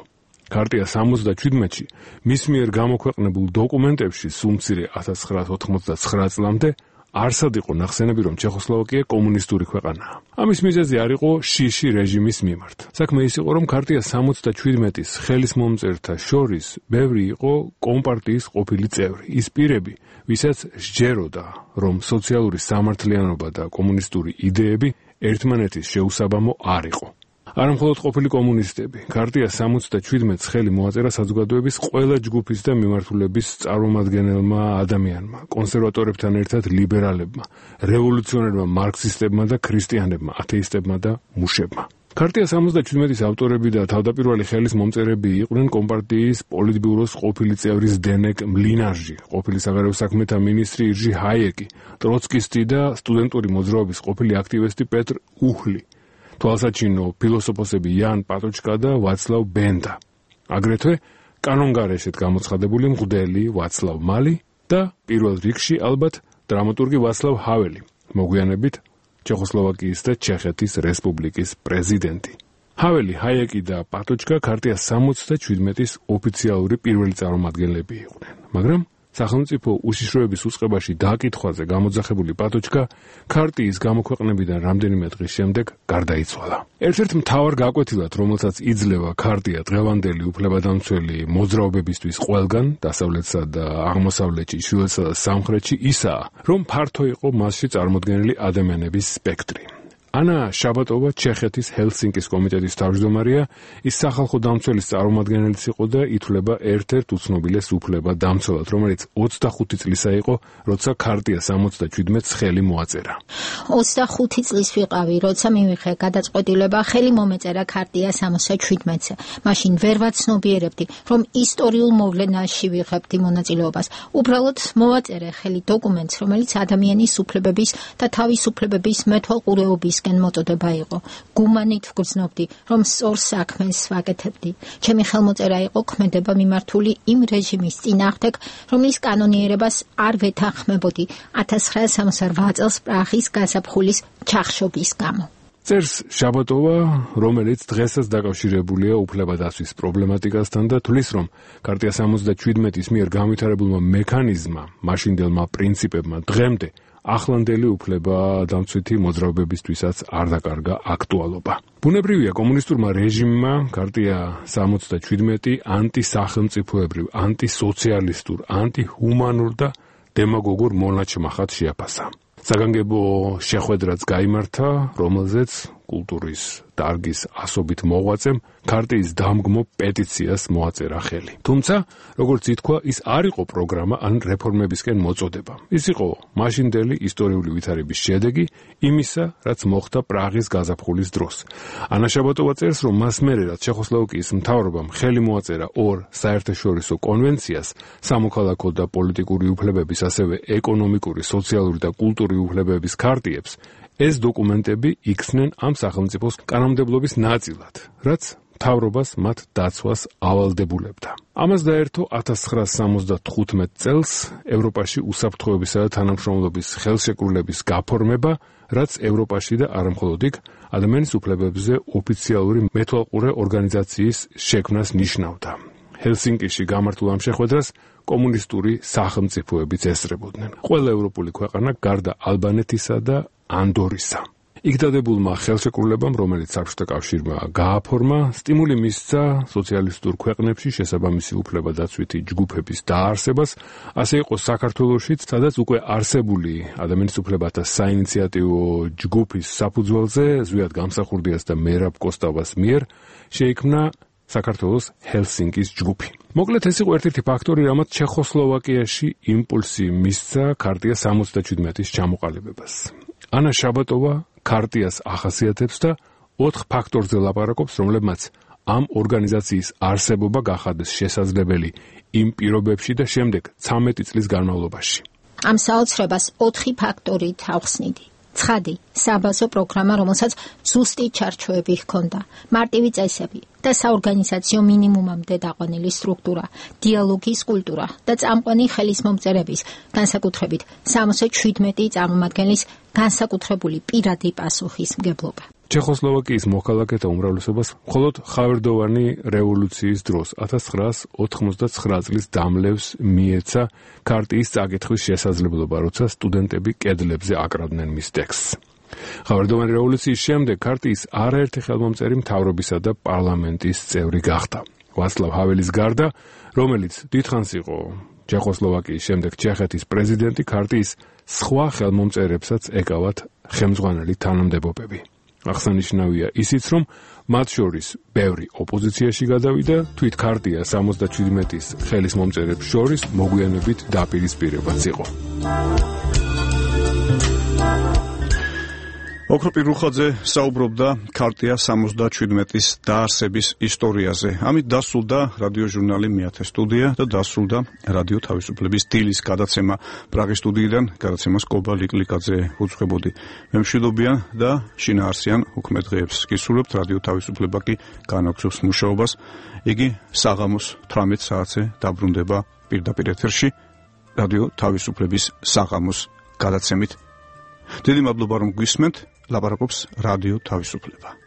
ქარტია 77-ში მის მიერ გამოქვეყნებულ დოკუმენტებში სულ მცირე 1989 წლამდე არსად იყო ნახსენები, რომ ჩეხოსლოვაკია კომუნისტური ქვეყანაა. ამის მიზეზი არ იყო შიში რეჟიმის მიმართ. საქმე ის იყო, რომ ქარტია 77-ის ხელისმომწერთა შორის ბევრი იყო კომპარტიის ყოფილი წევრი. ის პირები, ვისაც სჯეროდა, რომ სოციალური სამართლიანობა და კომუნისტური იდეები ერთმანეთის შეუსაბამო არ იყო. არა მხოლოდ ყოფილი კომუნისტები, ქარტია 77-ს ხელი მოაწერა საზოგადოების ყველა ჯგუფის და მიმართულების წარმომადგენელმა ადამიანმა, კონსერვატორებთან ერთად ლიბერალებმა, რევოლუციონერმა მარქსისტებმა და ქრისტიანებმა, ათეისტებმა და მუშებმა. ქარტია 77-ის ავტორები და თავდაპირველი ხელის მომწერები იყვნენ კომპარტიის პოლიტბიუროს ყოფილი წევრი ზდენეკ მლინარჟი, ყოფილი საგარეო საქმეთა მინისტრი ირჟი ჰაიეკი, ტროცკისტი და სტუდენტური მოძრაობის ყოფილი აქტივისტი პეტრ უჰლი. თვალსაჩინო ფილოსოფოსები იან პატოჩკა და ვაცლავ ბენდა. აგრეთვე კანონგარეშეთ გამოცხადებული მღვდელი ვაცლავ მალი და პირველ რიგში ალბათ დრამატურგი ვაცლავ ჰაველი, მოგვიანებით ჩეხოსლოვაკიის და ჩეხეთის რესპუბლიკის პრეზიდენტი. ჰაველი, ჰაიეკი და პატოჩკა ქარტია 77-ის ოფიციალური პირველი წარმომადგენლები იყვნენ, მაგრამ სახელმწიფო უშიშროების უწყებაში დაკითხვაზე გამოძახებული პატოჩკა ქარტიის გამოქვეყნებიდან რამდენიმე დღის შემდეგ გარდაიცვალა. ერთ-ერთ მთავარ გაკვეთილად, რომელსაც იძლევა ქარტია დღევანდელი უფლებადამცველი მოძრაობებისთვის ყველგან, დასავლეთსა და აღმოსავლეთში, ჩრდილოეთსა და სამხრეთში, ისაა, რომ ფართო იყო მასში წარმოდგენილი ადამიანების სპექტრი. ანა შაბატოვა ჩეხეთის ჰელსინკის კომიტეტის თავმჯდომარეა, ის სახალხო დამცველის წარმომადგენელიც იყო და ითვლება ერთ-ერთ უცნობილეს უფლებადამცველად, რომელიც 25 წლისა იყო, როცა ქარტია 77-ს ხელი მოაწერა. 25 წლის ვიყავი, როცა მივიღე გადაწყვეტილება ხელი მომეწერა ქარტია 77-ზე. მაშინ ვერ ვაცნობიერებდი, რომ ისტორიულ მოვლენაში ვიღებდი მონაწილეობას. უბრალოდ მოვაწერე ხელი დოკუმენტს, რომელიც ადამიანის უფლებების და თავისუფლებების მეთვალყურეობის მოწოდება იყო. გუმანით ვგრძნობდი, რომ სწორ საქმეს ვაკეთებდი. ჩემი ხელმოწერა იყო ქმედება მიმართული იმ რეჟიმის წინააღმდეგ, რომლის კანონიერებას არ ვეთანხმებოდი 1968 წელს პრაღის გაზაფხულის ჩახშობის გამო. წერს შაბატოვა, რომელიც დღესაც დაკავშირებულია უფლებადაცვის პრობლემატიკასთან და თვლის, რომ ქარტია 77-ის მიერ განვითარებულმა მექანიზმმა, მაშინდელმა პრინციპებმა დღემდე ახლანდელი უფლებადამცვითი მოძრაობებისთვისაც არ დაკარგა აქტუალობა. ბუნებრივია, კომუნისტურმა რეჟიმმა ქარტია 77 ანტისახელმწიფოებრივ, ანტისოციალისტურ, ანტიჰუმანურ და დემაგოგურ მონაჩმახად შეაფასა. საგანგებო შეხვედრაც გაიმართა, რომელზეც კულტურის დარგის ასობით მოღვაწემ ქარტიის დამგმო პეტიციას მოაწერა ხელი. თუმცა, როგორც ითქვა, ის არ იყო პროგრამა ან რეფორმებისკენ მოწოდება. ის იყო მაშინდელი ისტორიული ვითარების შედეგი იმისა, რაც მოხდა პრაღის გაზაფხულის დროს. ანა შაბატოვა წერს, რომ მას მერე, რაც ჩეხოსლოვაკიის მთავრობამ ხელი მოაწერა ორ საერთაშორისო კონვენციას, სამოქალაქო და პოლიტიკური უფლებების, ასევე ეკონომიკური, სოციალური და კულტურული უფლებების ქარტიებს, ეს დოკუმენტები იქცნენ ამ სახელმწიფოს კანონმდებლობის ნაწილად, რაც მთავრობას მათ დაცვას ავალდებულებდა. ამას დაერთო 1975 წელს ევროპაში უსაფრთხოებისა და თანამშრომლობის ხელშეკრულების გაფორმება, რაც ევროპაში და არა მხოლოდ იქ ადამიანის უფლებებზე ოფიციალური მეთვალყურე ორგანიზაციის შექმნას ნიშნავდა. ჰელსინკიში გამართულ ამ შეხვედრას კომუნისტური სახელმწიფოებიც ესწრებოდნენ. ყველა ევროპული ქვეყანა გარდა ალბანეთისა და ანდორისა. იქ დადებულმა ხელშეკრულებამ, რომელიც საბჭოთა კავშირმა გააფორმა, სტიმული მისცა სოციალისტურ ქვეყნებში შესაბამისი უფლებადაცვითი ჯგუფების დაარსებას, ასე იყო საქართველოშიც, სადაც უკვე არსებული ადამიანის უფლებათა საინიციატივო ჯგუფის საფუძველზე ზვიად გამსახურდიას და მერაბ კოსტავას მიერ შეიქმნა საქართველოს ჰელსინკის ჯგუფი. მოკლედ ეს იყო ერთ-ერთი ფაქტორი, რამაც ჩეხოსლოვაკიაში იმპულსი მისცა ქარტია 77-ის ჩამოყალიბებას. ანა შაბატოვა ქარტიას ახასიათებს და 4 ფაქტორზე ლაპარაკობს, რომლებმაც ამ ორგანიზაციის არსებობა გახადეს შესაძლებელი იმ პირობებში და შემდეგ 13 წლის განმავლობაში. ამ საოცრებას 4 ფაქტორით ავხსნიდი. ცხადი, საბაზო პროგრამა, რომელსაც ზუსტი ჩარჩოები ჰქონდა, მარტივი წესები და საორგანიზაციო მინიმუმამდე დაყვანილი სტრუქტურა, დიალოგის კულტურა და წამყვანი ხელისმომწერების, განსაკუთრებით 77 წარმომადგენლის განსაკუთრებული პირადი პასუხისმგებლობა. ჩეხოსლოვაკიის მოქალაქეთა უმრავლესობას მხოლოდ ხავერდოვანი რევოლუციის დროს 1989 წლის დამლევს მიეცა ქარტიის წაკითხვის შესაძლებლობა, როცა სტუდენტები კედლებზე აკრავდნენ მის ტექსტს. ხავერდოვანი რევოლუციის შემდეგ ქარტიის არაერთი ხელმომწერი მთავრობისა და პარლამენტის წევრი გახდა. ვაცლავ ჰაველის გარდა, რომელიც დიდხანს იყო ჩეხოსლოვაკიის შემდეგ ჩეხეთის პრეზიდენტი, ქარტიის სხვა ხელმომწერებსაც ეკავათ ხელმძღვანელი თანამდებობები. აღსანიშნავია ისიც, რომ მათ შორის ბევრი ოპოზიციაში გადავიდა, თვით ქარტია 77-ის ხელისმომწერებს შორის მოგვიანებით დაპირისპირებაც იყო. ოქრო პირუხაძე საუბრობდა ქარტია 77-ის დაარსების ისტორიაზე. ამით დასრულდა რადიოჟურნალი მეათე სტუდია და დასრულდა რადიო თავისუფლების დილის გადაცემა. პრაღის სტუდიიდან გადაცემას კობა ლიკლიკაძე უძღვებოდი. მე მშვიდობიან და შინაარსიან უქმე დღეებს გისურვებთ. რადიო თავისუფლება კი განაგრძობს მუშაობას. იგი საღამოს 18 საათზე დაბრუნდება პირდაპირ ეთერში რადიო თავისუფლების საღამოს გადაცემით. დიდი მადლობა რომ გვისმენთ. ლაპარაკობს რადიო თავისუფლება.